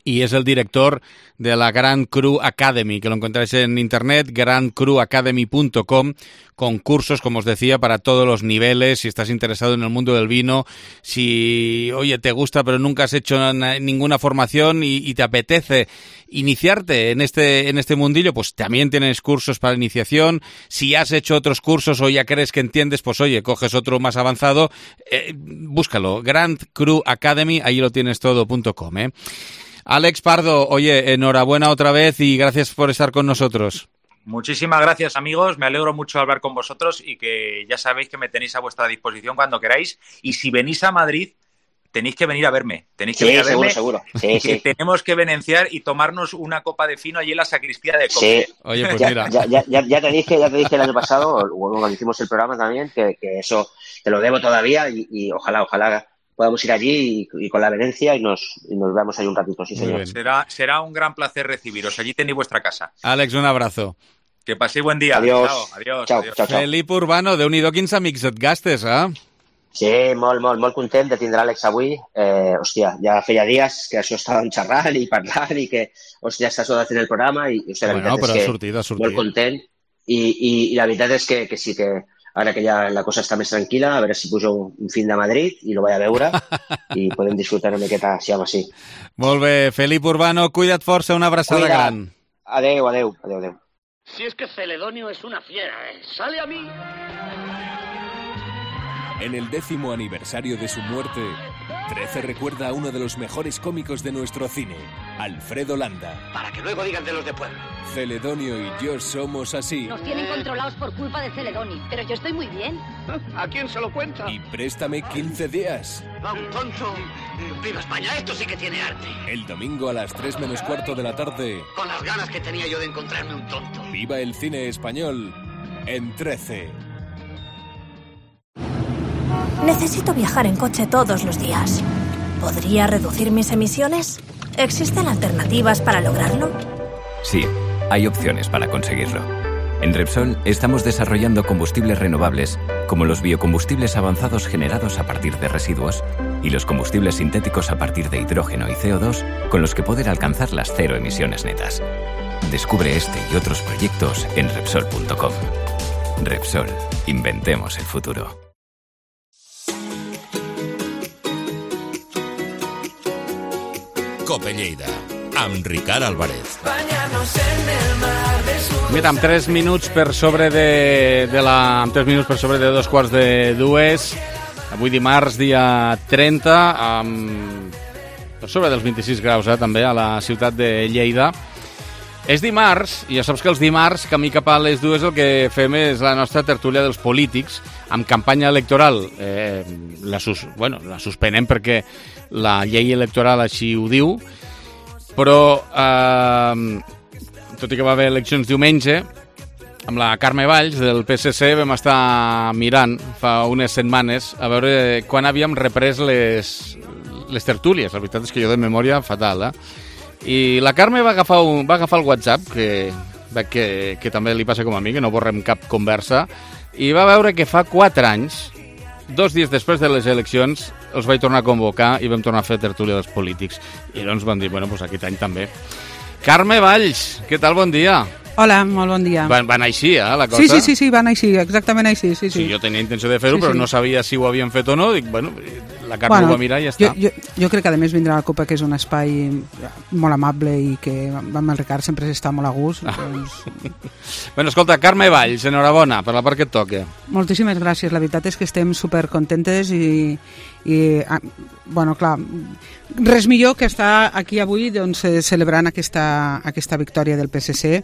Y es el director de la Grand Cru Academy, que lo encontráis en internet, grand cru academy punto com, con cursos, como os decía, para todos los niveles. Si estás interesado en el mundo del vino, si, oye, te gusta pero nunca has hecho ninguna formación y, y te apetece iniciarte en este, en este mundillo, pues también tienes cursos para iniciación. Si has hecho otros cursos o ya crees que entiendes, pues oye, coges otro más avanzado, eh, búscalo, Grand Cru Academy, ahí lo tienes todo punto com, ¿eh? Alex Pardo, oye, enhorabuena otra vez y gracias por estar con nosotros. Muchísimas gracias, amigos. Me alegro mucho de hablar con vosotros y que ya sabéis que me tenéis a vuestra disposición cuando queráis. Y si venís a Madrid, tenéis que venir a verme. Tenéis que sí, venir a verme. Seguro, seguro. Sí, que sí. tenemos que venenciar y tomarnos una copa de fino allí en la sacristía de Coque. Sí. Oye, pues ya, mira. Ya, ya, ya, ya te dije, ya te dije el año pasado, cuando hicimos el programa también, que, que eso te lo debo todavía y, y ojalá, ojalá podamos ir allí y, y con la venencia y nos, y nos veamos ahí un ratito, sí, señor. Será, será un gran placer recibiros. Allí tenéis vuestra casa. Alex, un abrazo. Que paséis buen día. Adiós. Chao, adiós. Chao, adiós. chao, chao. Felipe Urbano, déu-n'hi-do quins amics et gastes, eh? Sí, molt, molt, molt content de tindre Àlex avui. Eh, hòstia, ja feia dies que això estàvem xerrant i parlant i que, hòstia, estàs fent el programa i, hòstia, la Bueno, veritat però és ha que sortit, ha sortit. molt content i, i, i la veritat és que, que sí que ara que ja la cosa està més tranquil·la, a veure si pujo un fin de Madrid i lo vaig a veure i podem disfrutar una miqueta així amb així. Molt bé, Felipe Urbano, cuida't força, una abraçada Cuida. gran. Adeu, adeu, adeu, adeu. Si es que Celedonio es una fiera, ¿eh? ¡Sale a mí! En el décimo aniversario de su muerte, trece recuerda a uno de los mejores cómicos de nuestro cine, Alfredo Landa. Para que luego digan de los de pueblo. Celedonio y yo somos así. Nos tienen controlados por culpa de Celedonio, pero yo estoy muy bien. ¿A quién se lo cuenta? Y préstame quince días. A un tonto. ¡Viva España! Esto sí que tiene arte. El domingo a las tres menos cuarto de la tarde. Con las ganas que tenía yo de encontrarme un tonto. Viva el cine español en trece. Necesito viajar en coche todos los días. ¿Podría reducir mis emisiones? ¿Existen alternativas para lograrlo? Sí, hay opciones para conseguirlo. En Repsol estamos desarrollando combustibles renovables, como los biocombustibles avanzados generados a partir de residuos y los combustibles sintéticos a partir de hidrógeno y C O dos, con los que poder alcanzar las cero emisiones netas. Descubre este y otros proyectos en Repsol punto com. Repsol, inventemos el futuro. Cope Lleida, amb Ricard Álvarez. Mira, amb tres minuts per sobre de, de la, amb tres minuts per sobre de dos quarts de dues, avui dimarts, dia trenta, amb, per sobre dels vint-i-sis graus, eh, també, a la ciutat de Lleida. És dimarts, i ja saps que els dimarts, camí cap a les dues, el que fem és la nostra tertúlia dels polítics, amb campanya electoral. Eh, la, sus, bueno, la suspenem perquè la llei electoral així ho diu, però eh, tot i que va haver eleccions diumenge, amb la Carme Valls del P S C vam estar mirant fa unes setmanes a veure quan havíem reprès les, les tertúlies. La veritat és que jo de memòria fatal, eh? I la Carme va agafar, un, va agafar el WhatsApp, que, que, que també li passa com a mi, que no borrem cap conversa, i va veure que fa quatre anys, dos dies després de les eleccions, els vaig tornar a convocar i vam tornar a fer tertúlia dels polítics. I llavors van dir, bueno, doncs aquest any també. Carme Valls, què tal? Bon dia. Hola, molt bon dia. Van, van així, eh, la cosa? Sí, sí, sí, sí, van així, exactament així. Sí, sí. Sí, jo tenia intenció de fer-ho, sí, però sí. No sabia si ho havien fet o no. Dic, bueno, la Carme bueno, ho va mirar i ja està. Jo, jo, jo crec que a més vindrà la Copa, que és un espai molt amable i que amb el Ricard sempre s'està molt a gust. Ah. Doncs... bueno, escolta, Carme Valls, enhorabona per la part que et toca. Moltíssimes gràcies, la veritat és que estem supercontentes i, i bueno, clar, res millor que estar aquí avui doncs, celebrant aquesta, aquesta victòria del P S C.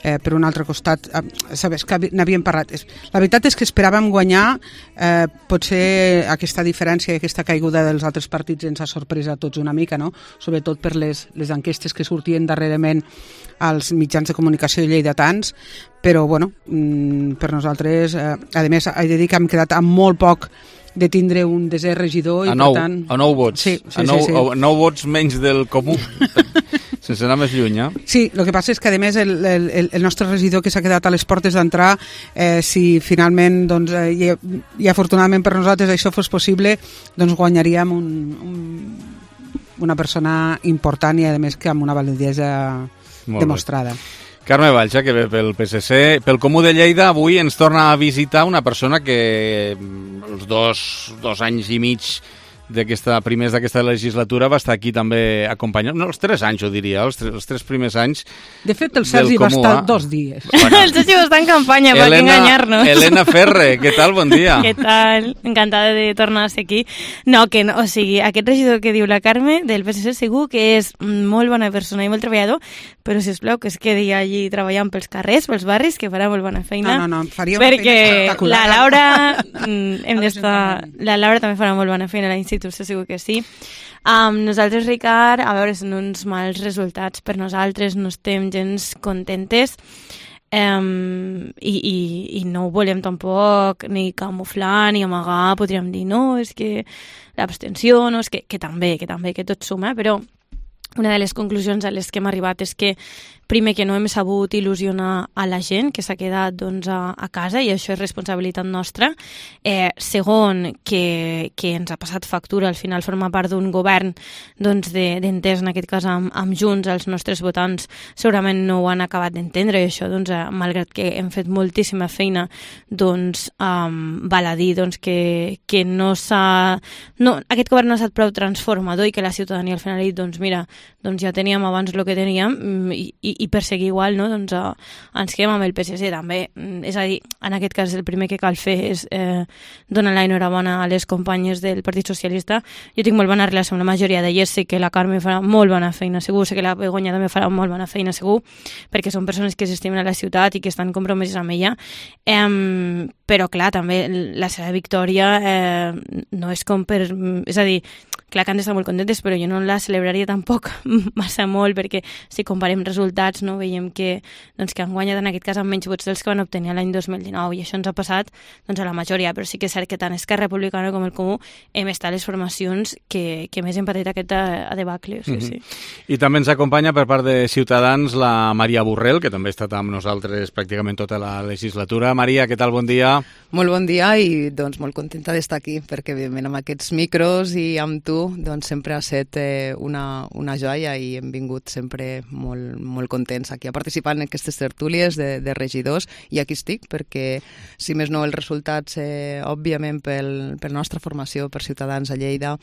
Eh, per un altre costat, eh, sabes que n'havíem parlat. La veritat és que esperàvem guanyar, eh, potser aquesta diferència i aquesta caiguda dels altres partits ens ha sorprès a tots una mica, no? Sobretot per les, les enquestes que sortien darrerament als mitjans de comunicació lleidatans, però bueno, mm, per nosaltres, eh, a més, he de dir que hem quedat amb molt poc de tindre un desè regidor i a nou, per tant... a nou vots, sí, sí, a nou, sí, sí. A nou vots menys del comú. Sense anar més lluny, eh? Sí, el que passa és que, a més, el, el, el nostre regidor que s'ha quedat a les portes d'entrar, eh, si finalment, doncs, eh, i, i afortunadament per nosaltres això fos possible, doncs guanyaríem un, un, una persona important i, a més, que amb una validesa demostrada. Carme Valls, que ve pel P S C. Pel Comú de Lleida, avui ens torna a visitar una persona que els dos, dos anys i mig d'aquesta primers d'aquesta legislatura va estar aquí també acompanyant, no, els tres anys ho diria, els tres, els tres primers anys. De fet, el Sergi va estar eh? dos dies. Bueno. El Sergi va estar en campanya, per enganyar-nos. Elena Ferre, què tal? Bon dia. Què tal? Encantada de tornar a ser aquí. No, que no, o sigui, aquest regidor que diu la Carme del P S C segur que és molt bona persona i molt treballador, però sisplau que es quedi allí treballant pels carrers, pels barris, que farà molt bona feina. No, no, no, faria una perquè feina espectacular. la Laura, hem d'estar, la Laura també farà molt bona feina a l'institut, segur que sí. Um, nosaltres, Ricard, a veure, són uns mals resultats per nosaltres, no estem gens contentes um, i, i, i no ho volem tampoc ni camuflar ni amagar, podríem dir, no, és que l'abstenció, no, és que, que també, que també, que tot suma, però una de les conclusions a les que hem arribat és que primer que no hem sabut il·lusionar a la gent que s'ha quedat doncs, a, a casa i això és responsabilitat nostra. Eh, segon, que, que ens ha passat factura, al final forma part d'un govern doncs, d'entès, de, en aquest cas amb, amb Junts, els nostres votants segurament no ho han acabat d'entendre i això, doncs, eh, malgrat que hem fet moltíssima feina, doncs um, val a dir doncs, que, que no s'ha... No, aquest govern no ha estat prou transformador i que la ciutadania al final ha dit, doncs mira, doncs ja teníem abans el que teníem i, i i per seguir igual, no? Doncs uh, ens quedem amb el P S C també. És a dir, en aquest cas el primer que cal fer és eh, donar l'enhorabona a les companyes del Partit Socialista. Jo tinc molt bona relació amb la majoria d'elles, sé que la Carme farà molt bona feina segur, sé que la Begoña també farà molt bona feina segur, perquè són persones que s'estimen a la ciutat i que estan compromeses amb ella. Eh, però clar, també la seva victòria eh, no és com per... És a dir, clar que han d'estar molt contentes, però jo no la celebraria tampoc massa molt, perquè si comparem resultats resultats, no? Veiem que, doncs, que han guanyat en aquest cas amb menys vots dels que van obtenir l'any dos mil dinou, i això ens ha passat doncs, a la majoria, però sí que és cert que tant Esquerra Republicana com el Comú hem estat les formacions que, que més hem patit aquest a, a debacle. O sigui, Mm-hmm. sí. I també ens acompanya per part de Ciutadans la Maria Borrell, que també ha estat amb nosaltres pràcticament tota la legislatura. Maria, què tal? Bon dia. Molt bon dia i doncs molt contenta d'estar aquí, perquè evidentment amb aquests micros i amb tu doncs sempre ha estat eh, una, una joia i hem vingut sempre molt, molt contents aquí a participar en aquestes tertúlies de, de regidors, i aquí estic perquè, si més no, els resultats eh, òbviament pel, per la nostra formació, per Ciutadans a Lleida,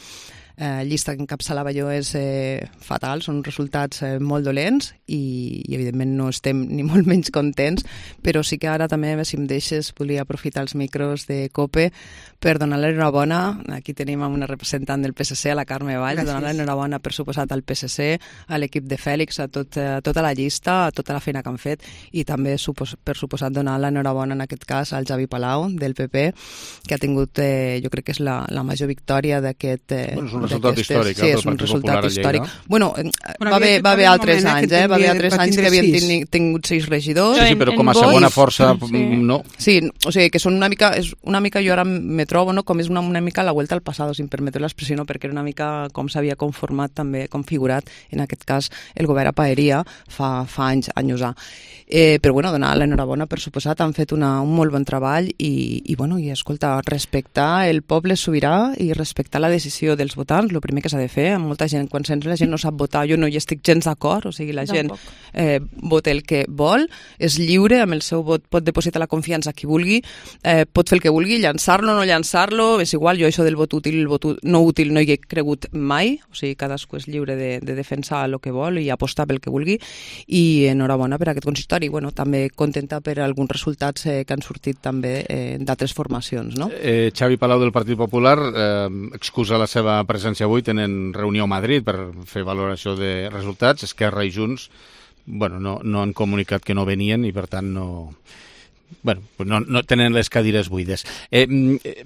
eh, llista que encapçalava jo és eh, fatal, són resultats eh, molt dolents i, i evidentment no estem ni molt menys contents, però sí que ara també, si em deixes, volia aprofitar els micros de COPE per donar l'enhorabona. Aquí tenim una representant del P S C, a la Carme Valls, donar l'enhorabona per suposat al P S C, a l'equip de Fèlix, a, tot, a tota la llista, a tota la feina que han fet, i també supos, per suposat donar l'enhorabona en aquest cas al Javi Palau del P P, que ha tingut, eh, jo crec que és la, la major victòria d'aquest... Eh, bueno, és un resultat històric, sí, eh, és un resultat històric. Bueno, eh, Bueno, va haver, va haver altres moment, eh, anys, que eh? Va haver altres va anys que tindre havien sis. tingut, tingut sis regidors. Sí, sí, però com a segona força, Sí. no. Sí, o sigui, que són una mica, és una mica, jo ara me trobo, no?, com és una, una mica la vuelta al passado, si em permeteu l'expressió, no?, perquè era una mica com s'havia conformat també, configurat, en aquest cas, el govern a Paeria fa, fa anys, anys ja. Eh, però, bueno, donar l'enhorabona, per suposat, han fet una, un molt bon treball i, i, bueno, i, escolta, respectar el poble sobirà i respectar la decisió dels votants, el primer que s'ha de fer, amb molta gent, quan sents la gent no sap votar, jo no hi estic gens d'acord, o sigui, la gent eh, vota el que vol, és lliure, amb el seu vot pot depositar la confiança a qui vulgui, eh, pot fer el que vulgui, llançar-lo o no llançar-lo, és igual, jo això del vot útil i el vot no útil no hi he cregut mai, o sigui, cadascú és lliure de, de defensar el que vol i apostar pel que vulgui, i enhorabona per aquest consistori, bueno, també contenta per alguns resultats eh, que han sortit també eh, d'altres formacions, no? Eh, Xavi Palau del Partit Popular eh, excusa la seva presència avui, tenen reunió a Madrid per fer valoració de resultats. Esquerra i Junts bueno, no, no han comunicat que no venien i per tant no... Bueno, no, no tenen les cadires buides. Eh, eh,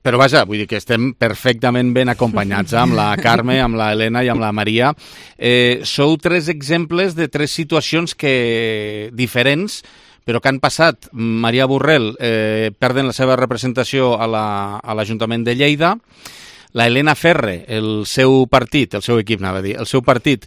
però vaja, vull dir que estem perfectament ben acompanyats eh, amb la Carme, amb la Helena i amb la Maria. Eh, sou tres exemples de tres situacions que diferents, però que han passat. Maria Borrell eh, perden la seva representació a l'Ajuntament la, a de Lleida. La Helena Ferre, el seu partit, el seu equip, anava a dir, el seu partit,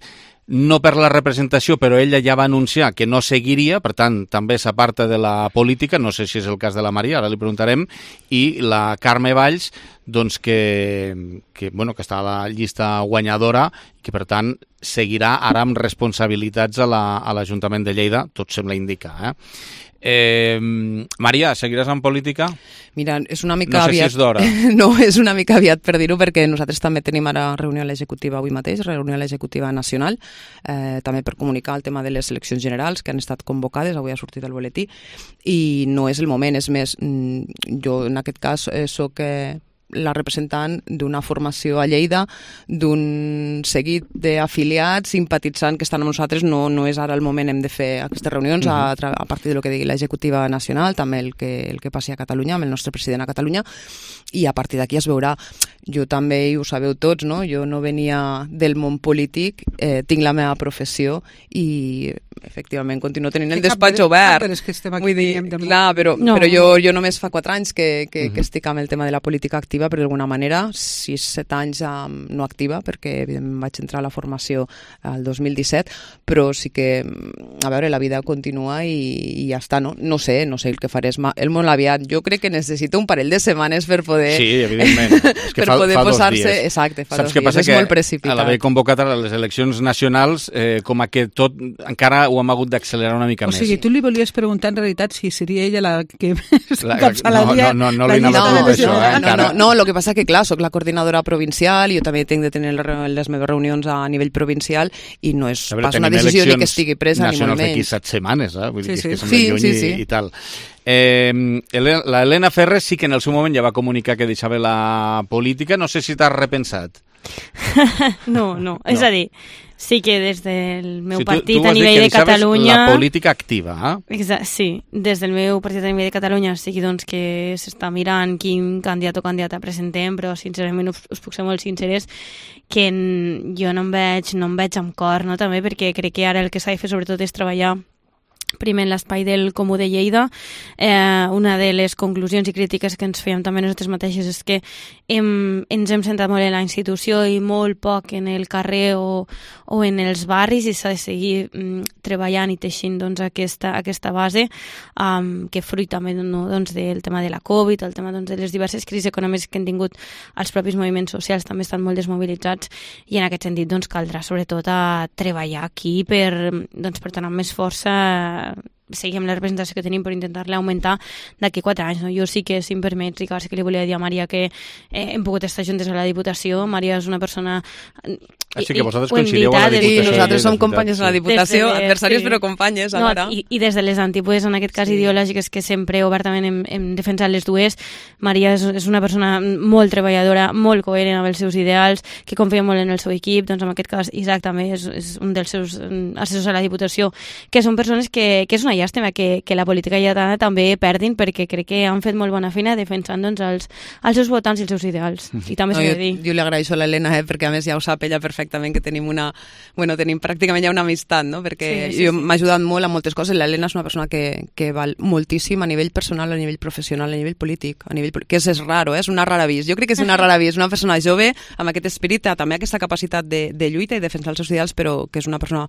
no per la representació, però ella ja va anunciar que no seguiria, per tant, també s'aparta de la política, no sé si és el cas de la Maria, ara li preguntarem, i la Carme Valls, doncs que, que, bueno, que està a la llista guanyadora, que per tant seguirà ara amb responsabilitats a l'Ajuntament la, de Lleida, tot sembla indicar, eh? Eh, Maria, seguiràs en política? Mira, és una mica no sé aviat. Si és d'hora. No, és una mica aviat per dir-ho, perquè nosaltres també tenim ara reunió a l'executiva avui mateix, reunió a l'executiva nacional, eh, també per comunicar el tema de les eleccions generals que han estat convocades, avui ha sortit el boletí, i no és el moment, és més, jo en aquest cas eh, soc... Eh, la representant d'una formació a Lleida, d'un seguit d'afiliats, simpatitzant que estan amb nosaltres, no, no és ara el moment, hem de fer aquestes reunions a, a partir del que digui l'executiva nacional, també el que, el que passi a Catalunya, amb el nostre president a Catalunya, i a partir d'aquí es veurà. Jo també, i ho sabeu tots, no? Jo no venia del món polític, eh, tinc la meva professió i efectivament continuo tenint el despatx obert. Però és que estem aquí. Vull dir, clar, però, no. però jo, jo només fa quatre anys que, que, uh-huh. que estic amb el tema de la política activa, però d'alguna manera, sis, set anys um, no activa, perquè evidentment vaig entrar a la formació el dos mil disset, però sí que, a veure, la vida continua i, i ja està, no? No sé, no sé el que faré, el molt aviat. Jo crec que necessito un parell de setmanes per poder... Sí, evidentment. És que per fa, poder fa posar-se... dos dies. Exacte, fa Saps dos dies. És molt precipitat. A l'haver convocat a les eleccions nacionals, eh, com a que tot encara ho hem hagut d'accelerar una mica o més. O sigui, tu li volies preguntar en realitat si seria ella la que encapçalaria... No, no, no, no li anava no, a això, eh, no, no, no, el que passa que, clar, soc la coordinadora provincial i jo també tinc de tenir les meves reunions a nivell provincial i no és veure, pas una decisió ni que estigui presa ni molt menys. Nacionals d'aquí set setmanes, eh? Vull dir sí, que, sí. és que sí, lluny sí, i, sí. i tal. Eh, la Helena Ferrer sí que en el seu moment ja va comunicar que deixava la política. No sé si t'has repensat. no, no, és no. a dir, Sí que des del meu sí, tu, partit tu a nivell de Catalunya... La política activa, eh? Exacte, sí, des del meu partit a nivell de Catalunya sí que, doncs, que s'està mirant quin candidat o candidata presentem, però sincerament us, us puc ser molt sinceres que en, jo no em veig, no em veig amb cor, no? També perquè crec que ara el que s'ha de fer sobretot és treballar primer en l'espai del Comú de Lleida. Eh, una de les conclusions i crítiques que ens fèiem també nosaltres mateixes és que hem, ens hem centrat molt en la institució i molt poc en el carrer o, o en els barris, i s'ha de seguir mm, treballant i teixint, doncs, aquesta, aquesta base um, que fruit també, no, doncs, del tema de la Covid, el tema, doncs, de les diverses crisis econòmiques que han tingut els propis moviments socials, també estan molt desmobilitzats, i en aquest sentit, doncs, caldrà sobretot a treballar aquí per, doncs, per donar més força, seguim la representació que tenim per intentar-la augmentar d'aquí quatre anys. No? Jo sí que, si em permets, Ricard, sí que li volia dir a Maria que eh, hem pogut estar juntes a la Diputació. Maria és una persona... Així que vosaltres coincideu a la Diputació. Sí, nosaltres som companyes a la Diputació, de, adversàries sí. però companyes alhora. No, i, I des de les antípodes, en aquest cas sí. ideològiques, que sempre obertament hem, hem defensat les dues. Maria és, és una persona molt treballadora, molt coherent amb els seus ideals, que confia molt en el seu equip. Doncs en aquest cas Isaac també és, és un dels seus assessors a la Diputació, que són persones que, que és una llàstima que, que la política lleidatana també perdin, perquè crec que han fet molt bona feina defensant, doncs, els, els seus votants i els seus ideals. I també s'ha no, de dir. Jo, jo li agraeixo a l'Helena, eh, perquè a més ja ho sap ella perfectament, que tenim una... Bueno, tenim pràcticament ja una amistat, no? Perquè sí, sí, jo sí. m'ha ajudat molt a moltes coses. L'Helena és una persona que, que val moltíssim a nivell personal, a nivell professional, a nivell polític, a nivell... que és, és raro, eh? És una rara vis. Jo crec que és una rara vis. És una persona jove, amb aquest esperit, també aquesta capacitat de, de lluita i defensar els seus ideals, però que és una persona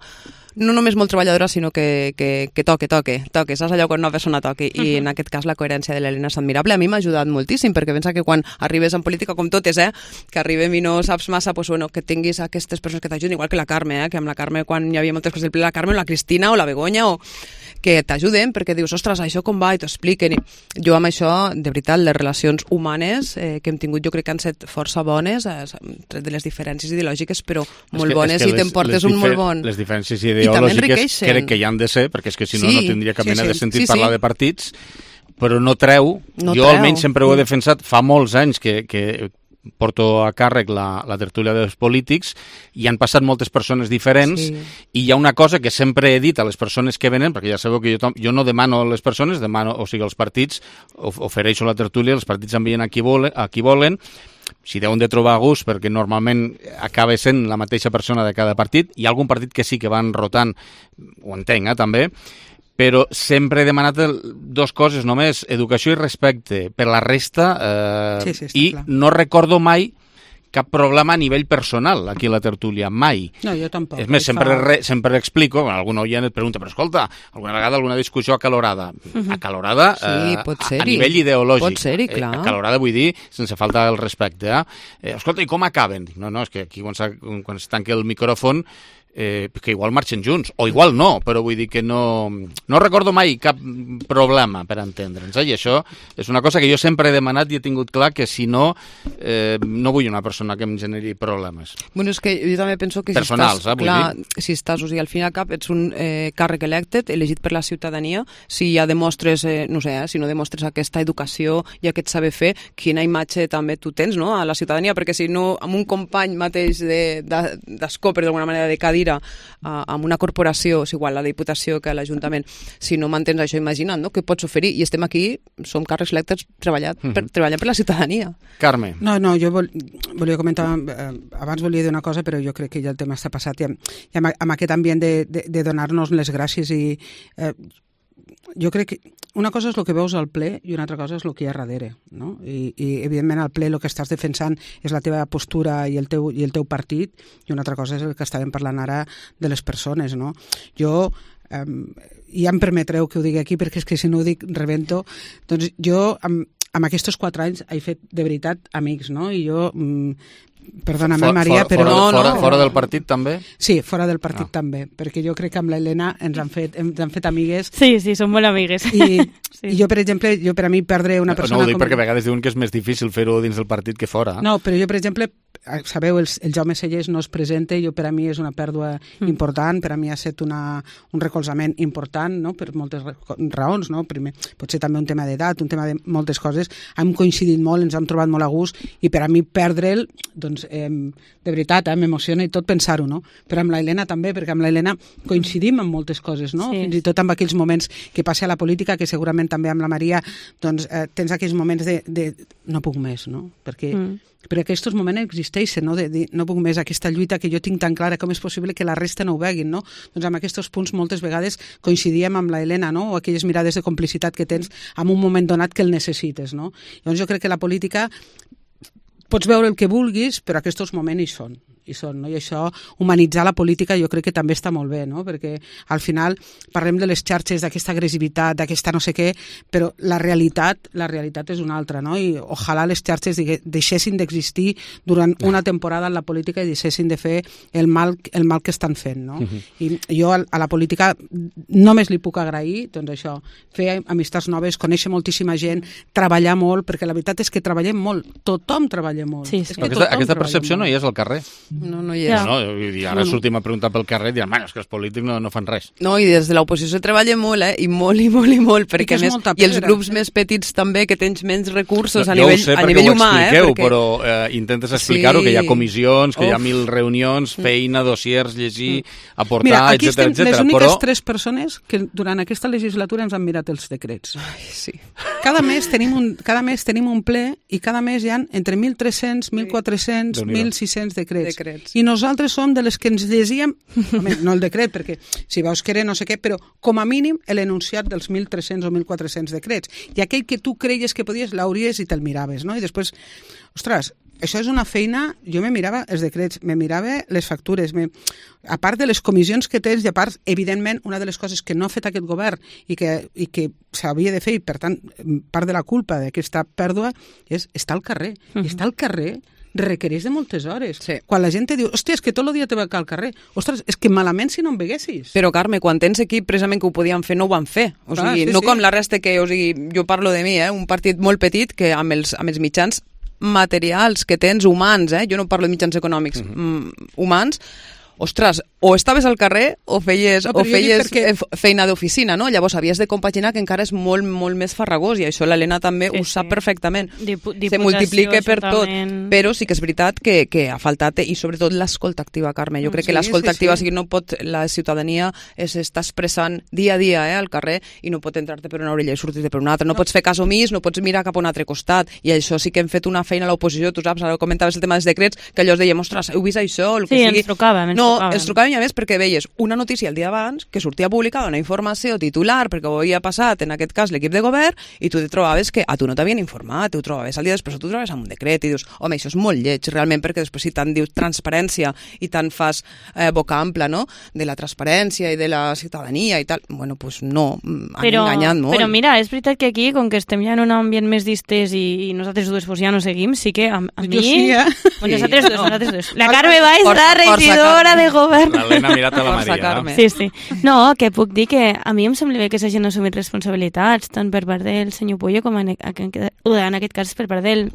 no només molt treballadora, sinó que, que, que toque, toque, toque. Saps allò quan una persona toque? I uh-huh. en aquest cas la coherència de l'Helena és admirable. A mi m'ha ajudat moltíssim, perquè pensa que quan arribes en política, com totes, eh, que arribem i no saps massa, pues, bueno, que tinguis aquestes persones que t'ajuden, igual que la Carme, eh, que amb la Carme, quan hi havia moltes coses del ple, la Carme o la Cristina o la Begoña, o que t'ajuden, perquè dius, ostres, això com va, i t'ho expliquen. I jo amb això, de veritat, les relacions humanes eh, que hem tingut, jo crec que han set força bones, eh, tret de les diferències ideològiques, però molt que, bones, i t'emportes un molt bon... Les diferències ideològiques crec que hi han de ser, perquè és que si no, sí, no tindria cap sí, mena sí, de sentit sí, sí. parlar de partits, però no treu, no jo treu. Almenys sempre ho he defensat, fa molts anys que, que porto a càrrec la, la tertúlia dels polítics, i han passat moltes persones diferents, sí. i hi ha una cosa que sempre he dit a les persones que venen, perquè ja sabeu que jo, jo no demano a les persones, demano, o sigui, els partits, ofereixo la tertúlia, els partits envien a qui, vole, a qui volen, si deuen de trobar gust, perquè normalment acaba sent la mateixa persona de cada partit. Hi ha algun partit que sí que van rotant, ho entenc, eh, també, però sempre he demanat dues coses només, educació i respecte. Per la resta, eh, sí, sí, i clar. No recordo mai cap problema a nivell personal aquí a la tertúlia, mai. No, jo tampoc. És més, sempre, re, sempre explico, quan algun oient et pregunta, però escolta, alguna vegada alguna discussió acalorada? Uh-huh. Acalorada sí, eh, pot a, a nivell ideològic. Pot ser-hi, clar. Eh, acalorada vull dir, sense falta el respecte. Eh? Eh, escolta, i com acaben? No, no, és que aquí quan, quan es tanca el micròfon, Eh, que igual marxen junts, o igual no, però vull dir que no, no recordo mai cap problema per entendre'ns, eh? I això és una cosa que jo sempre he demanat i he tingut clar que si no, eh, no vull una persona que em generi problemes. Bueno, és que jo també penso que si personals, estàs, eh, clar, dir. si estàs, o sigui, al fin i al cap ets un eh, càrrec elected, elegit per la ciutadania, si ja demostres, eh, no sé, eh, si no demostres aquesta educació i aquest saber fer, quina imatge també tu tens, no?, a la ciutadania, perquè si no, amb un company mateix d'escó, de, per d'alguna manera, de cadira, amb una corporació, és igual la Diputació que l'Ajuntament, si no mantens això, imagina't, no?, què pots oferir, i estem aquí, som càrrecs electes treballant, uh-huh. per, treballant per la ciutadania. Carme. No, no, jo vol, volia comentar, eh, abans volia dir una cosa, però jo crec que ja el tema està passat, i amb, i amb, amb aquest ambient de, de, de donar-nos les gràcies, i eh, jo crec que una cosa és el que veus al ple i una altra cosa és el que hi ha darrere, no? I, i evidentment al ple el que estàs defensant és la teva postura i el teu, i el teu partit, i una altra cosa és el que estàvem parlant ara de les persones, no? Jo, eh, ja em permetreu que ho digui aquí perquè és que si no ho dic rebento, doncs jo amb, amb aquests quatre anys he fet de veritat amics, no? I jo... Mm, perdona-me, for, Maria, for, però... Fora, no, fora, no, fora del partit, també? Sí, fora del partit no. també, perquè jo crec que amb l'Helena ens han fet, ens han fet amigues. Sí, sí, som molt amigues. I, sí. i jo, per exemple, jo per a mi perdre una persona... No, no ho dic com... perquè a vegades diuen que és més difícil fer-ho dins del partit que fora. No, però jo, per exemple, sabeu, el, el Jaume Sellers no es presenta, jo per a mi és una pèrdua mm. important, per a mi ha estat una, un recolzament important, no?, per moltes raons, no? Primer, potser també un tema d'edat, un tema de moltes coses, hem coincidit molt, ens hem trobat molt a gust, i per a mi perdre'l, doncs doncs, eh, de veritat, eh, m'emociona i tot pensar-ho, no? Però amb la Helena també, perquè amb la Helena coincidim en moltes coses, no? Sí. Fins i tot amb aquells moments que passa a la política, que segurament també amb la Maria, doncs, eh, tens aquells moments de, de no puc més, no? Perquè, mm. perquè aquests moments existeixen, no? De, de no puc més, aquesta lluita que jo tinc tan clara, com és possible que la resta no ho veguin, no? Doncs amb aquests punts moltes vegades coincidíem amb la Helena, no? O aquelles mirades de complicitat que tens en un moment donat que el necessites, no? Llavors jo crec que la política pots veure el que vulguis, però aquests moments hi són, hi són, no? I això, humanitzar la política jo crec que també està molt bé, no? Perquè al final parlem de les xarxes, d'aquesta agressivitat, d'aquesta no sé què, però la realitat, la realitat és una altra, no? I ojalà les xarxes deixessin d'existir durant una temporada en la política i deixessin de fer el mal, el mal que estan fent, no? Uh-huh. I jo a la política només li puc agrair, doncs això, fer amistats noves, conèixer moltíssima gent, treballar molt, perquè la veritat és que treballem molt, tothom treballa molt. Sí, sí. És que aquesta, aquesta percepció molt. No hi és al carrer. No, no hi és. No, no, i ara no, no. sortim a preguntar pel carrer i diran, bueno, és que els polítics no, no fan res. No, i des de l'oposició treballa molt, eh? I molt, i molt, i molt, perquè I, més, i els grups sí. més petits també, que tens menys recursos no, a nivell, sé, a nivell humà, eh? Perquè... però eh, intentes explicar-ho, sí. que hi ha comissions, que Uf. hi ha mil reunions, feina, dossiers, llegir, aportar, Mira, aquí etcètera, estem etcètera. les úniques però... tres persones que durant aquesta legislatura ens han mirat els decrets. Ai, sí. Cada mes tenim un, cada mes tenim un ple i cada mes hi ha entre mil tres-cents, mil quatre-cents, mil sis-cents decrets. decrets. I nosaltres som de les que ens llegíem, no el decret, perquè si veus que era no sé què, però com a mínim l'enunciat dels mil tres-cents o mil quatre-cents decrets. I aquell que tu creies que podies, l'hauries i te'l miraves, no? I després, ostres, això és una feina, jo me mirava els decrets, me mirava les factures, me... a part de les comissions que tens, i a part, evidentment, una de les coses que no ha fet aquest govern i que, i que s'havia de fer, i per tant, part de la culpa d'aquesta pèrdua és estar al carrer. Uh-huh. I estar al carrer requereix de moltes hores. Sí. Quan la gent te diu, hòstia, és que tot el dia te va al carrer. Ostres, és que malament si no em veguessis. Però, Carme, quan tens equip, precisament que ho podien fer, no ho van fer. O sigui, ah, sí, no sí. com la resta que, o sigui, jo parlo de mi, eh? Un partit molt petit que amb els, amb els mitjans materials que tens humans, eh? Jo no parlo de mitjans econòmics, uh-huh. mm, humans, ostres, o estaves al carrer o feies, no, o feies perquè... feina d'oficina, no? Llavors havies de compaginar, que encara és molt, molt més farragós, i això l'Helena també sí, ho sap sí. perfectament. Dipu Se multiplica per tot, però sí que és veritat que, que ha faltat, i sobretot l'escolta activa, Carme. Jo crec sí, que l'escolta sí, activa, sí. o sigui, no pot, la ciutadania s'està expressant dia a dia eh, al carrer i no pot entrar-te per una orella i sortir-te per una altra. No, no pots fer cas omís, no pots mirar cap a un altre costat, i això sí que hem fet una feina a l'oposició, tu saps, ara comentaves el tema dels decrets, que allò es dèiem, ostres, heu vist això? El que sí, sigui. ens trucàvem, ens no, trucàvem. ens trucàvem i a més perquè veies una notícia el dia abans que sortia publicada una informació titular perquè ho havia passat, en aquest cas, l'equip de govern, i tu te trobaves que a tu no t'havien informat, tu ho trobaves al dia després, tu ho trobaves amb un decret i dius, home, això és molt lleig, realment, perquè després si tant dius transparència i tant fas eh, boca ampla, no?, de la transparència i de la ciutadania i tal, bueno, doncs pues no, han però, enganyat molt. Però mira, és veritat que aquí, com que estem ja en un ambient més distès i, i nosaltres dues pues, ja no seguim, sí que a, a mi... Jo sí, eh? Bueno, nosaltres dues, no. nosaltres dues. La Carme Valls, la regidora de govern. L'Helena ha mirat a la Maria, no? Sí, sí. No, que puc dir que a mi em sembla bé que s'hagin assumit responsabilitats, tant per part del senyor Puyo com en, en aquest cas per part del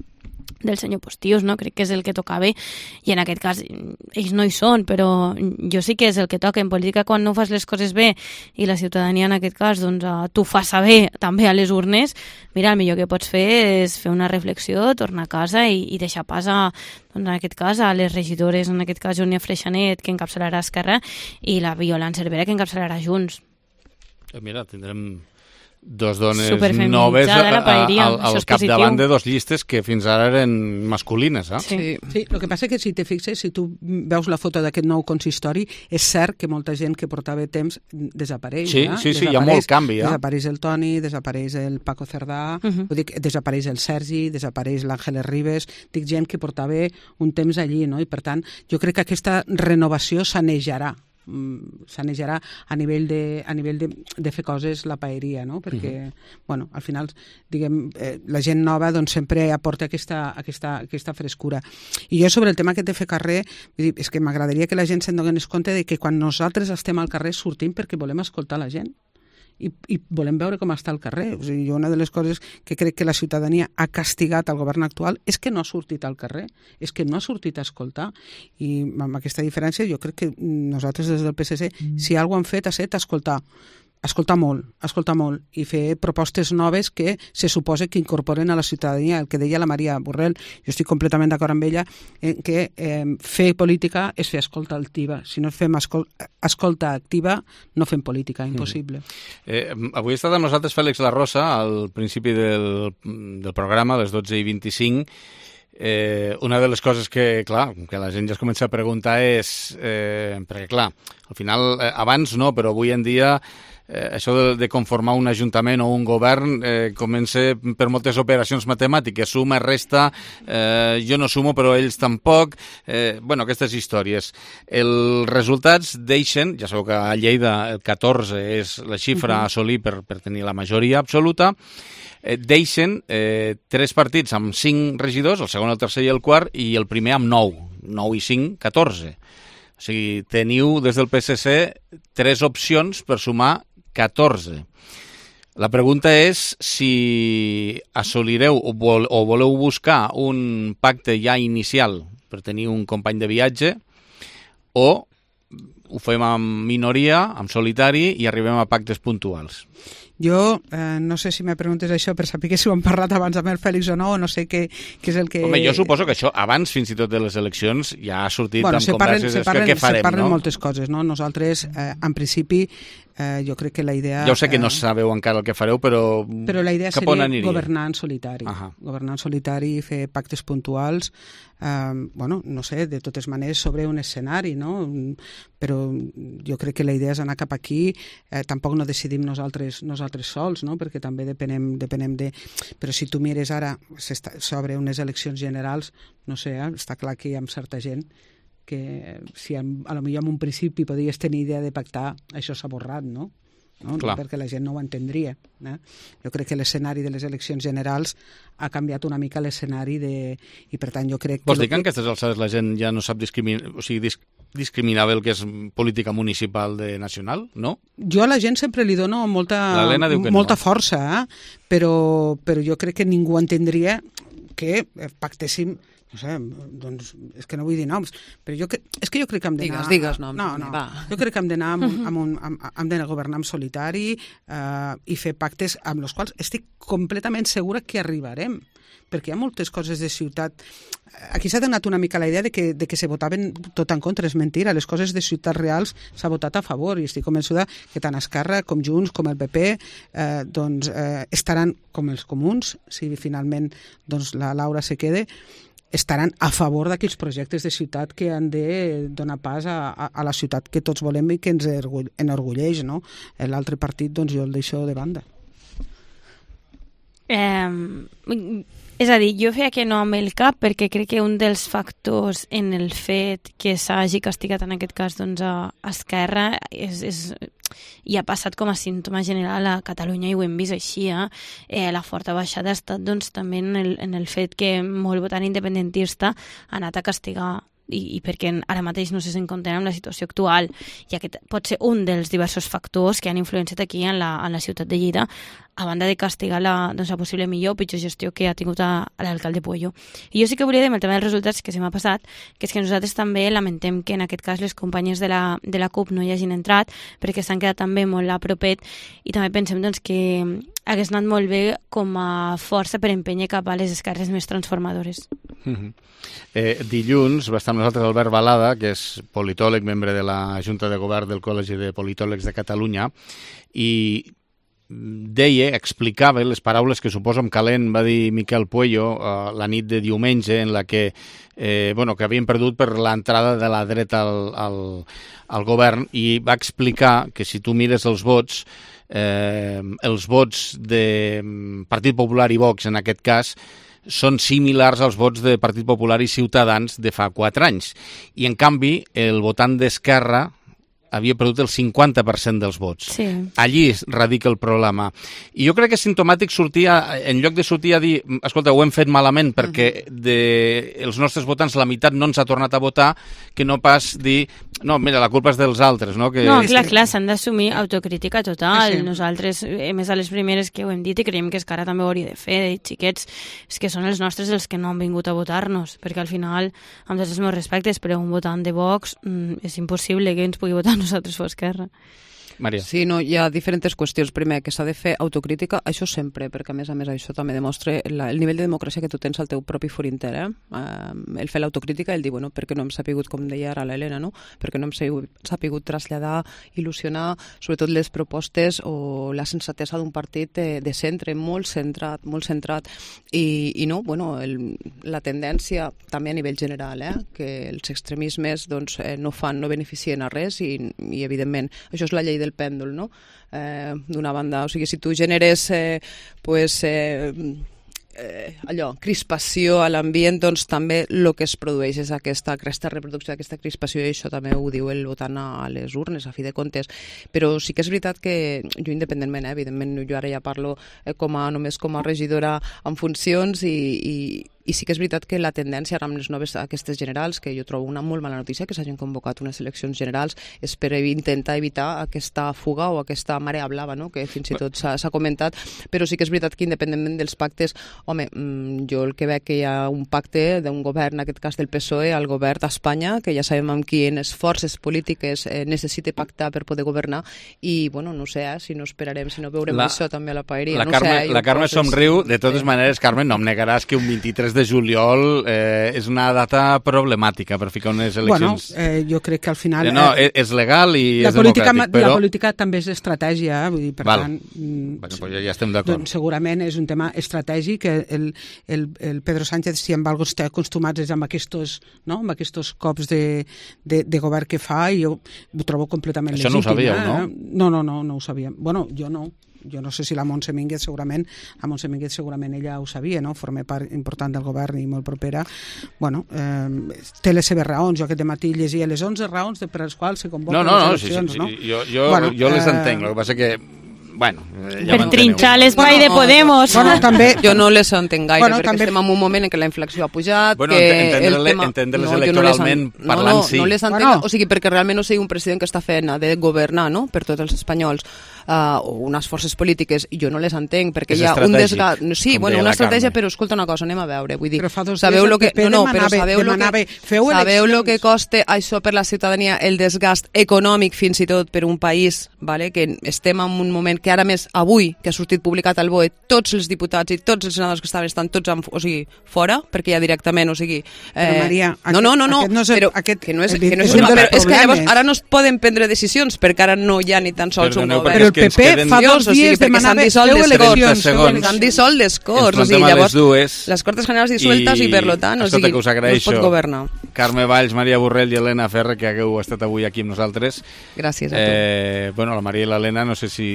del senyor Postius, no? Crec que és el que tocava, i en aquest cas ells no hi són, però jo sí que és el que toca en política. Quan no fas les coses bé i la ciutadania en aquest cas doncs, t'ho fa saber també a les urnes, mira, el millor que pots fer és fer una reflexió, tornar a casa i, i deixar pas a, doncs, en aquest cas a les regidores, en aquest cas Júnia Freixanet, que encapçalarà Esquerra, i la Violant Cervera, que encapçalarà Junts. Mira, tindrem dos dones noves al, al capdavant de dos llistes que fins ara eren masculines. Eh? Sí. sí, el que passa és que si te fixes, si tu veus la foto d'aquest nou consistori, és cert que molta gent que portava temps desapareix. Sí, eh? sí, sí, hi ha molt canvi. Eh? Desapareix el Toni, desapareix el Paco Cerdà, uh -huh. vull dir, desapareix el Sergi, desapareix l'Àngeles Ribes, dic gent que portava un temps allí, no? I per tant, jo crec que aquesta renovació sanejarà. sanejarà a nivell de, a nivell de, de fer coses la paeria, no? Perquè, uh -huh. bueno, al final, diguem, eh, la gent nova doncs sempre aporta aquesta, aquesta, aquesta frescura. I jo sobre el tema aquest de fer carrer, vull dir, és que m'agradaria que la gent se'n donés compte de que quan nosaltres estem al carrer sortim perquè volem escoltar la gent. I, i volem veure com està el carrer. O sigui, una de les coses que crec que la ciutadania ha castigat al govern actual és que no ha sortit al carrer, és que no ha sortit a escoltar, i amb aquesta diferència jo crec que nosaltres des del P S C, mm. si alguna cosa han fet ha estat escoltar, escoltar molt, escoltar molt i fer propostes noves que se suposa que incorporen a la ciutadania. El que deia la Maria Borrell, jo estic completament d'acord amb ella, en que eh, fer política és fer escolta activa. Si no fem escol escolta activa, no fem política, impossible. Mm. Eh, avui ha estat amb nosaltres Fèlix La Rosa, al principi del, del programa, a les dotze i vint-i-cinc. Eh, una de les coses que, clar, que la gent ja es comença a preguntar és, eh, perquè clar, al final, eh, abans no, però avui en dia eh, això de, de conformar un ajuntament o un govern eh, comença per moltes operacions matemàtiques, suma, resta, eh, jo no sumo però ells tampoc, eh, bueno, aquestes històries. Els resultats deixen, ja sabeu que a Lleida el catorze és la xifra a assolir per, per tenir la majoria absoluta, deixen eh, tres partits amb cinc regidors, el segon, el tercer i el quart, i el primer amb nou, nou i cinc, catorze. O sigui, teniu des del P S C tres opcions per sumar catorze. La pregunta és si assolireu o, vol, o voleu buscar un pacte ja inicial per tenir un company de viatge o ho fem en minoria, en solitari, i arribem a pactes puntuals. Jo eh, no sé si me preguntes això per saber que si ho hem parlat abans amb el Fèlix o no, o no sé què, què és el que... Home, jo suposo que això, abans fins i tot de les eleccions, ja ha sortit bueno, amb converses, parlen, parlen, què farem, se parlen no? moltes coses, no? Nosaltres, eh, en principi, eh, jo crec que la idea... Ja ho sé que no eh, sabeu encara el que fareu, però, però la idea cap on seria aniria? Governar en solitari. Ahà. Governar en solitari i fer pactes puntuals, eh, bueno, no sé, de totes maneres sobre un escenari, no? Però jo crec que la idea és anar cap aquí, eh, tampoc no decidim nosaltres, nosaltres sols, no? Perquè també depenem, depenem de... Però si tu mires ara sobre unes eleccions generals, no sé, eh, està clar que hi ha certa gent que si a, a lo millor en un principi podies tenir idea de pactar, això s'ha borrat, no? No? No, perquè la gent no ho entendria. Eh? Jo crec que l'escenari de les eleccions generals ha canviat una mica l'escenari de... I per tant jo crec que... Vols dir que en aquestes alçades la gent ja no sap discriminar, o sigui, dis discriminar bé el que és política municipal de nacional, no? Jo a la gent sempre li dono molta, molta no. força, eh? però, però jo crec que ningú entendria que pactéssim, no sé, doncs és que no vull dir noms, però jo que, és que jo crec que hem d'anar... Digues, digues noms. No, no, va. Jo crec que hem d'anar amb, amb un, amb, hem d'anar a governar en solitari eh, i fer pactes amb els quals estic completament segura que arribarem, perquè hi ha moltes coses de ciutat. Aquí s'ha donat una mica la idea de que, de que se votaven tot en contra, és mentira, les coses de ciutats reals s'ha votat a favor i estic convençuda que tant Esquerra com Junts com el P P eh, doncs, eh, estaran com els comuns, si finalment doncs, la Laura se quede, estaran a favor d'aquells projectes de ciutat que han de donar pas a, a, a la ciutat que tots volem i que ens enorgulleix, no? L'altre partit, doncs jo el deixo de banda. Eh, és a dir, jo feia que no amb el cap perquè crec que un dels factors en el fet que s'hagi castigat en aquest cas doncs, a Esquerra és, és, i ha passat com a símptoma general a Catalunya i ho hem vist així, eh? Eh, la forta baixada ha estat doncs, també en el, en el fet que molt votant independentista ha anat a castigar i, i perquè ara mateix no se s'encontren amb la situació actual i aquest pot ser un dels diversos factors que han influenciat aquí en la, en la ciutat de Lleida, a banda de castigar la, doncs, la possible millor o pitjor gestió que ha tingut a, a l'alcalde Puello. I jo sí que volia dir amb el tema dels resultats que se m'ha passat, que és que nosaltres també lamentem que en aquest cas les companyes de la, de la CUP no hi hagin entrat perquè s'han quedat també molt a propet i també pensem doncs, que hagués anat molt bé com a força per empènyer cap a les esquerres més transformadores. Mm-hmm. eh, dilluns va estar amb nosaltres Albert Balada, que és politòleg, membre de la Junta de Govern del Col·legi de Politòlegs de Catalunya, i deia, explicava les paraules que suposo amb calent va dir Miquel Puello uh, la nit de diumenge en la que, eh, bueno, que havien perdut per l'entrada de la dreta al, al, al govern i va explicar que si tu mires els vots eh, els vots de Partit Popular i Vox en aquest cas són similars als vots de Partit Popular i Ciutadans de fa quatre anys i en canvi el votant d'Esquerra havia perdut el cinquanta per cent dels vots. Sí. Allí radica el problema. I jo crec que és simptomàtic sortir, a, en lloc de sortir a dir, escolta, ho hem fet malament perquè de els nostres votants la meitat no ens ha tornat a votar, que no pas dir, no, mira, la culpa és dels altres, no? Que... No, clar, clar, s'han d'assumir autocrítica total. Sí. Nosaltres, a més a les primeres que ho hem dit i creiem que Esquerra també ho hauria de fer, de xiquets, és que són els nostres els que no han vingut a votar-nos, perquè al final, amb tots els meus respectes, però un votant de Vox mm, és impossible que ens pugui votar nosaltres fos Esquerra. Maria. Sí, no, hi ha diferents qüestions. Primer, que s'ha de fer autocrítica, això sempre, perquè a més a més això també demostra la, el nivell de democràcia que tu tens al teu propi for intern. Eh? Uh, el fer l'autocrítica, el dir, bueno, perquè no hem sapigut, com deia ara l'Helena, no? perquè no hem sapigut traslladar, il·lusionar, sobretot les propostes o la sensatesa d'un partit de, de centre, molt centrat, molt centrat. I, i no, bueno, el, la tendència també a nivell general, eh? que els extremismes doncs, eh, no fan, no beneficien a res i, i evidentment, això és la llei del pèndol, no? Eh, d'una banda, o sigui, si tu generes eh, pues, eh, eh, allò, crispació a l'ambient, doncs també el que es produeix és aquesta, aquesta reproducció d'aquesta crispació, i això també ho diu el votant a les urnes, a fi de comptes. Però sí que és veritat que jo independentment, eh, evidentment jo ara ja parlo eh, com a, només com a regidora en funcions i, i I sí que és veritat que la tendència ara amb les noves aquestes generals, que jo trobo una molt mala notícia que s'hagin convocat unes eleccions generals, és per intentar evitar aquesta fuga o aquesta marea blava, no? que fins i tot s'ha comentat, però sí que és veritat que independentment dels pactes, home, jo el que veig que hi ha un pacte d'un govern, en aquest cas del P S O E, al govern d'Espanya, que ja sabem amb quines forces polítiques eh, necessita pactar per poder governar, i bueno, no sé, eh, si no esperarem, si no veurem la, això també a la paeria. La no Carme, sé, la Carme poses... somriu, de totes maneres, Carme, no em negaràs que un vint-i-tres de juliol eh, és una data problemàtica per ficar unes eleccions. Bueno, eh, jo crec que al final... Eh, no, eh, és legal i la és política, democràtic, però... La política també és estratègia, vull dir, per Val. tant... Bueno, pues ja estem d'acord. Doncs segurament és un tema estratègic, el, el, el Pedro Sánchez, si amb alguna cosa està acostumats és amb aquests, no? amb aquests cops de, de, de govern que fa, i jo ho trobo completament legítim. Això no ho sabíeu, eh? no? No, no, no, no ho sabíem. Bueno, jo no. Jo no sé si la Montse Mínguez segurament, la Montse Mínguez segurament ella ho sabia, no? Forma part important del govern i molt propera. Bueno, eh, té les seves raons. Jo aquest dematí llegia les onze raons per les quals se convoquen no, no, les no, eleccions, sí, sí, no? Sí, jo, jo, bueno, jo les eh... entenc, el que passa que bueno, ja per trinxar l'espai de Podemos. Bueno, també, jo no les entenc gaire, bueno, perquè també... estem en un moment en què la inflació ha pujat, bueno, que entendre el tema... entendre-les no, electoralment no parlant, no, sí. No les entenc, bueno. O sigui, perquè realment no sigui un president que està fent de governar, no?, per tots els espanyols, uh, o unes forces polítiques, i jo no les entenc, perquè és hi ha un desgast... Sí, bueno, una estratègia, Carme. Però escolta una cosa, anem a veure, vull dir... Però fa dos sabeu dies lo que... el P P no, no, però demanava, sabeu demanava, lo que... feu sabeu lo que eleccions. costa això per la ciutadania, el desgast econòmic fins i tot per un país, vale? Que estem en un moment que ara més avui, que ha sortit publicat al B O E, tots els diputats i tots els senadors que estaven estan tots en, o sigui, fora, perquè ja directament, o sigui... Eh, però Maria, no, no, no, no, aquest no és, però aquest, que no és, és, que no és, és, tema, però és que llavors problemes. ara no es poden prendre decisions perquè ara no hi ha ni tan sols un govern. Però el P P fa dos dies demanava feu eleccions. S'han dissolt les Corts, o sigui, llavors dues, les Cortes Generals dissoltes i, i per lo tant, o sigui, que us no es pot governar. Carme Valls, Maria Borrell i Helena Ferrer, que hagueu estat avui aquí amb nosaltres. Gràcies a tu. Eh, bueno, la Maria i l'Helena, no sé si...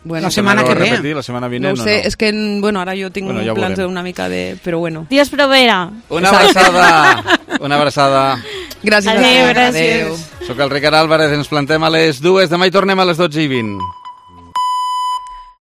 Bueno, la setmana que ve. Repetir, la setmana vinent, no ho sé, no? És que, bueno, ara jo tinc bueno, ja plans una mica de... Però bueno. Dios proveerà. Una abraçada. Una abraçada. Gràcies. Adéu, gràcies. Soc el Ricard Álvarez, ens plantem a les dues. Demà hi tornem a les dotze i vint.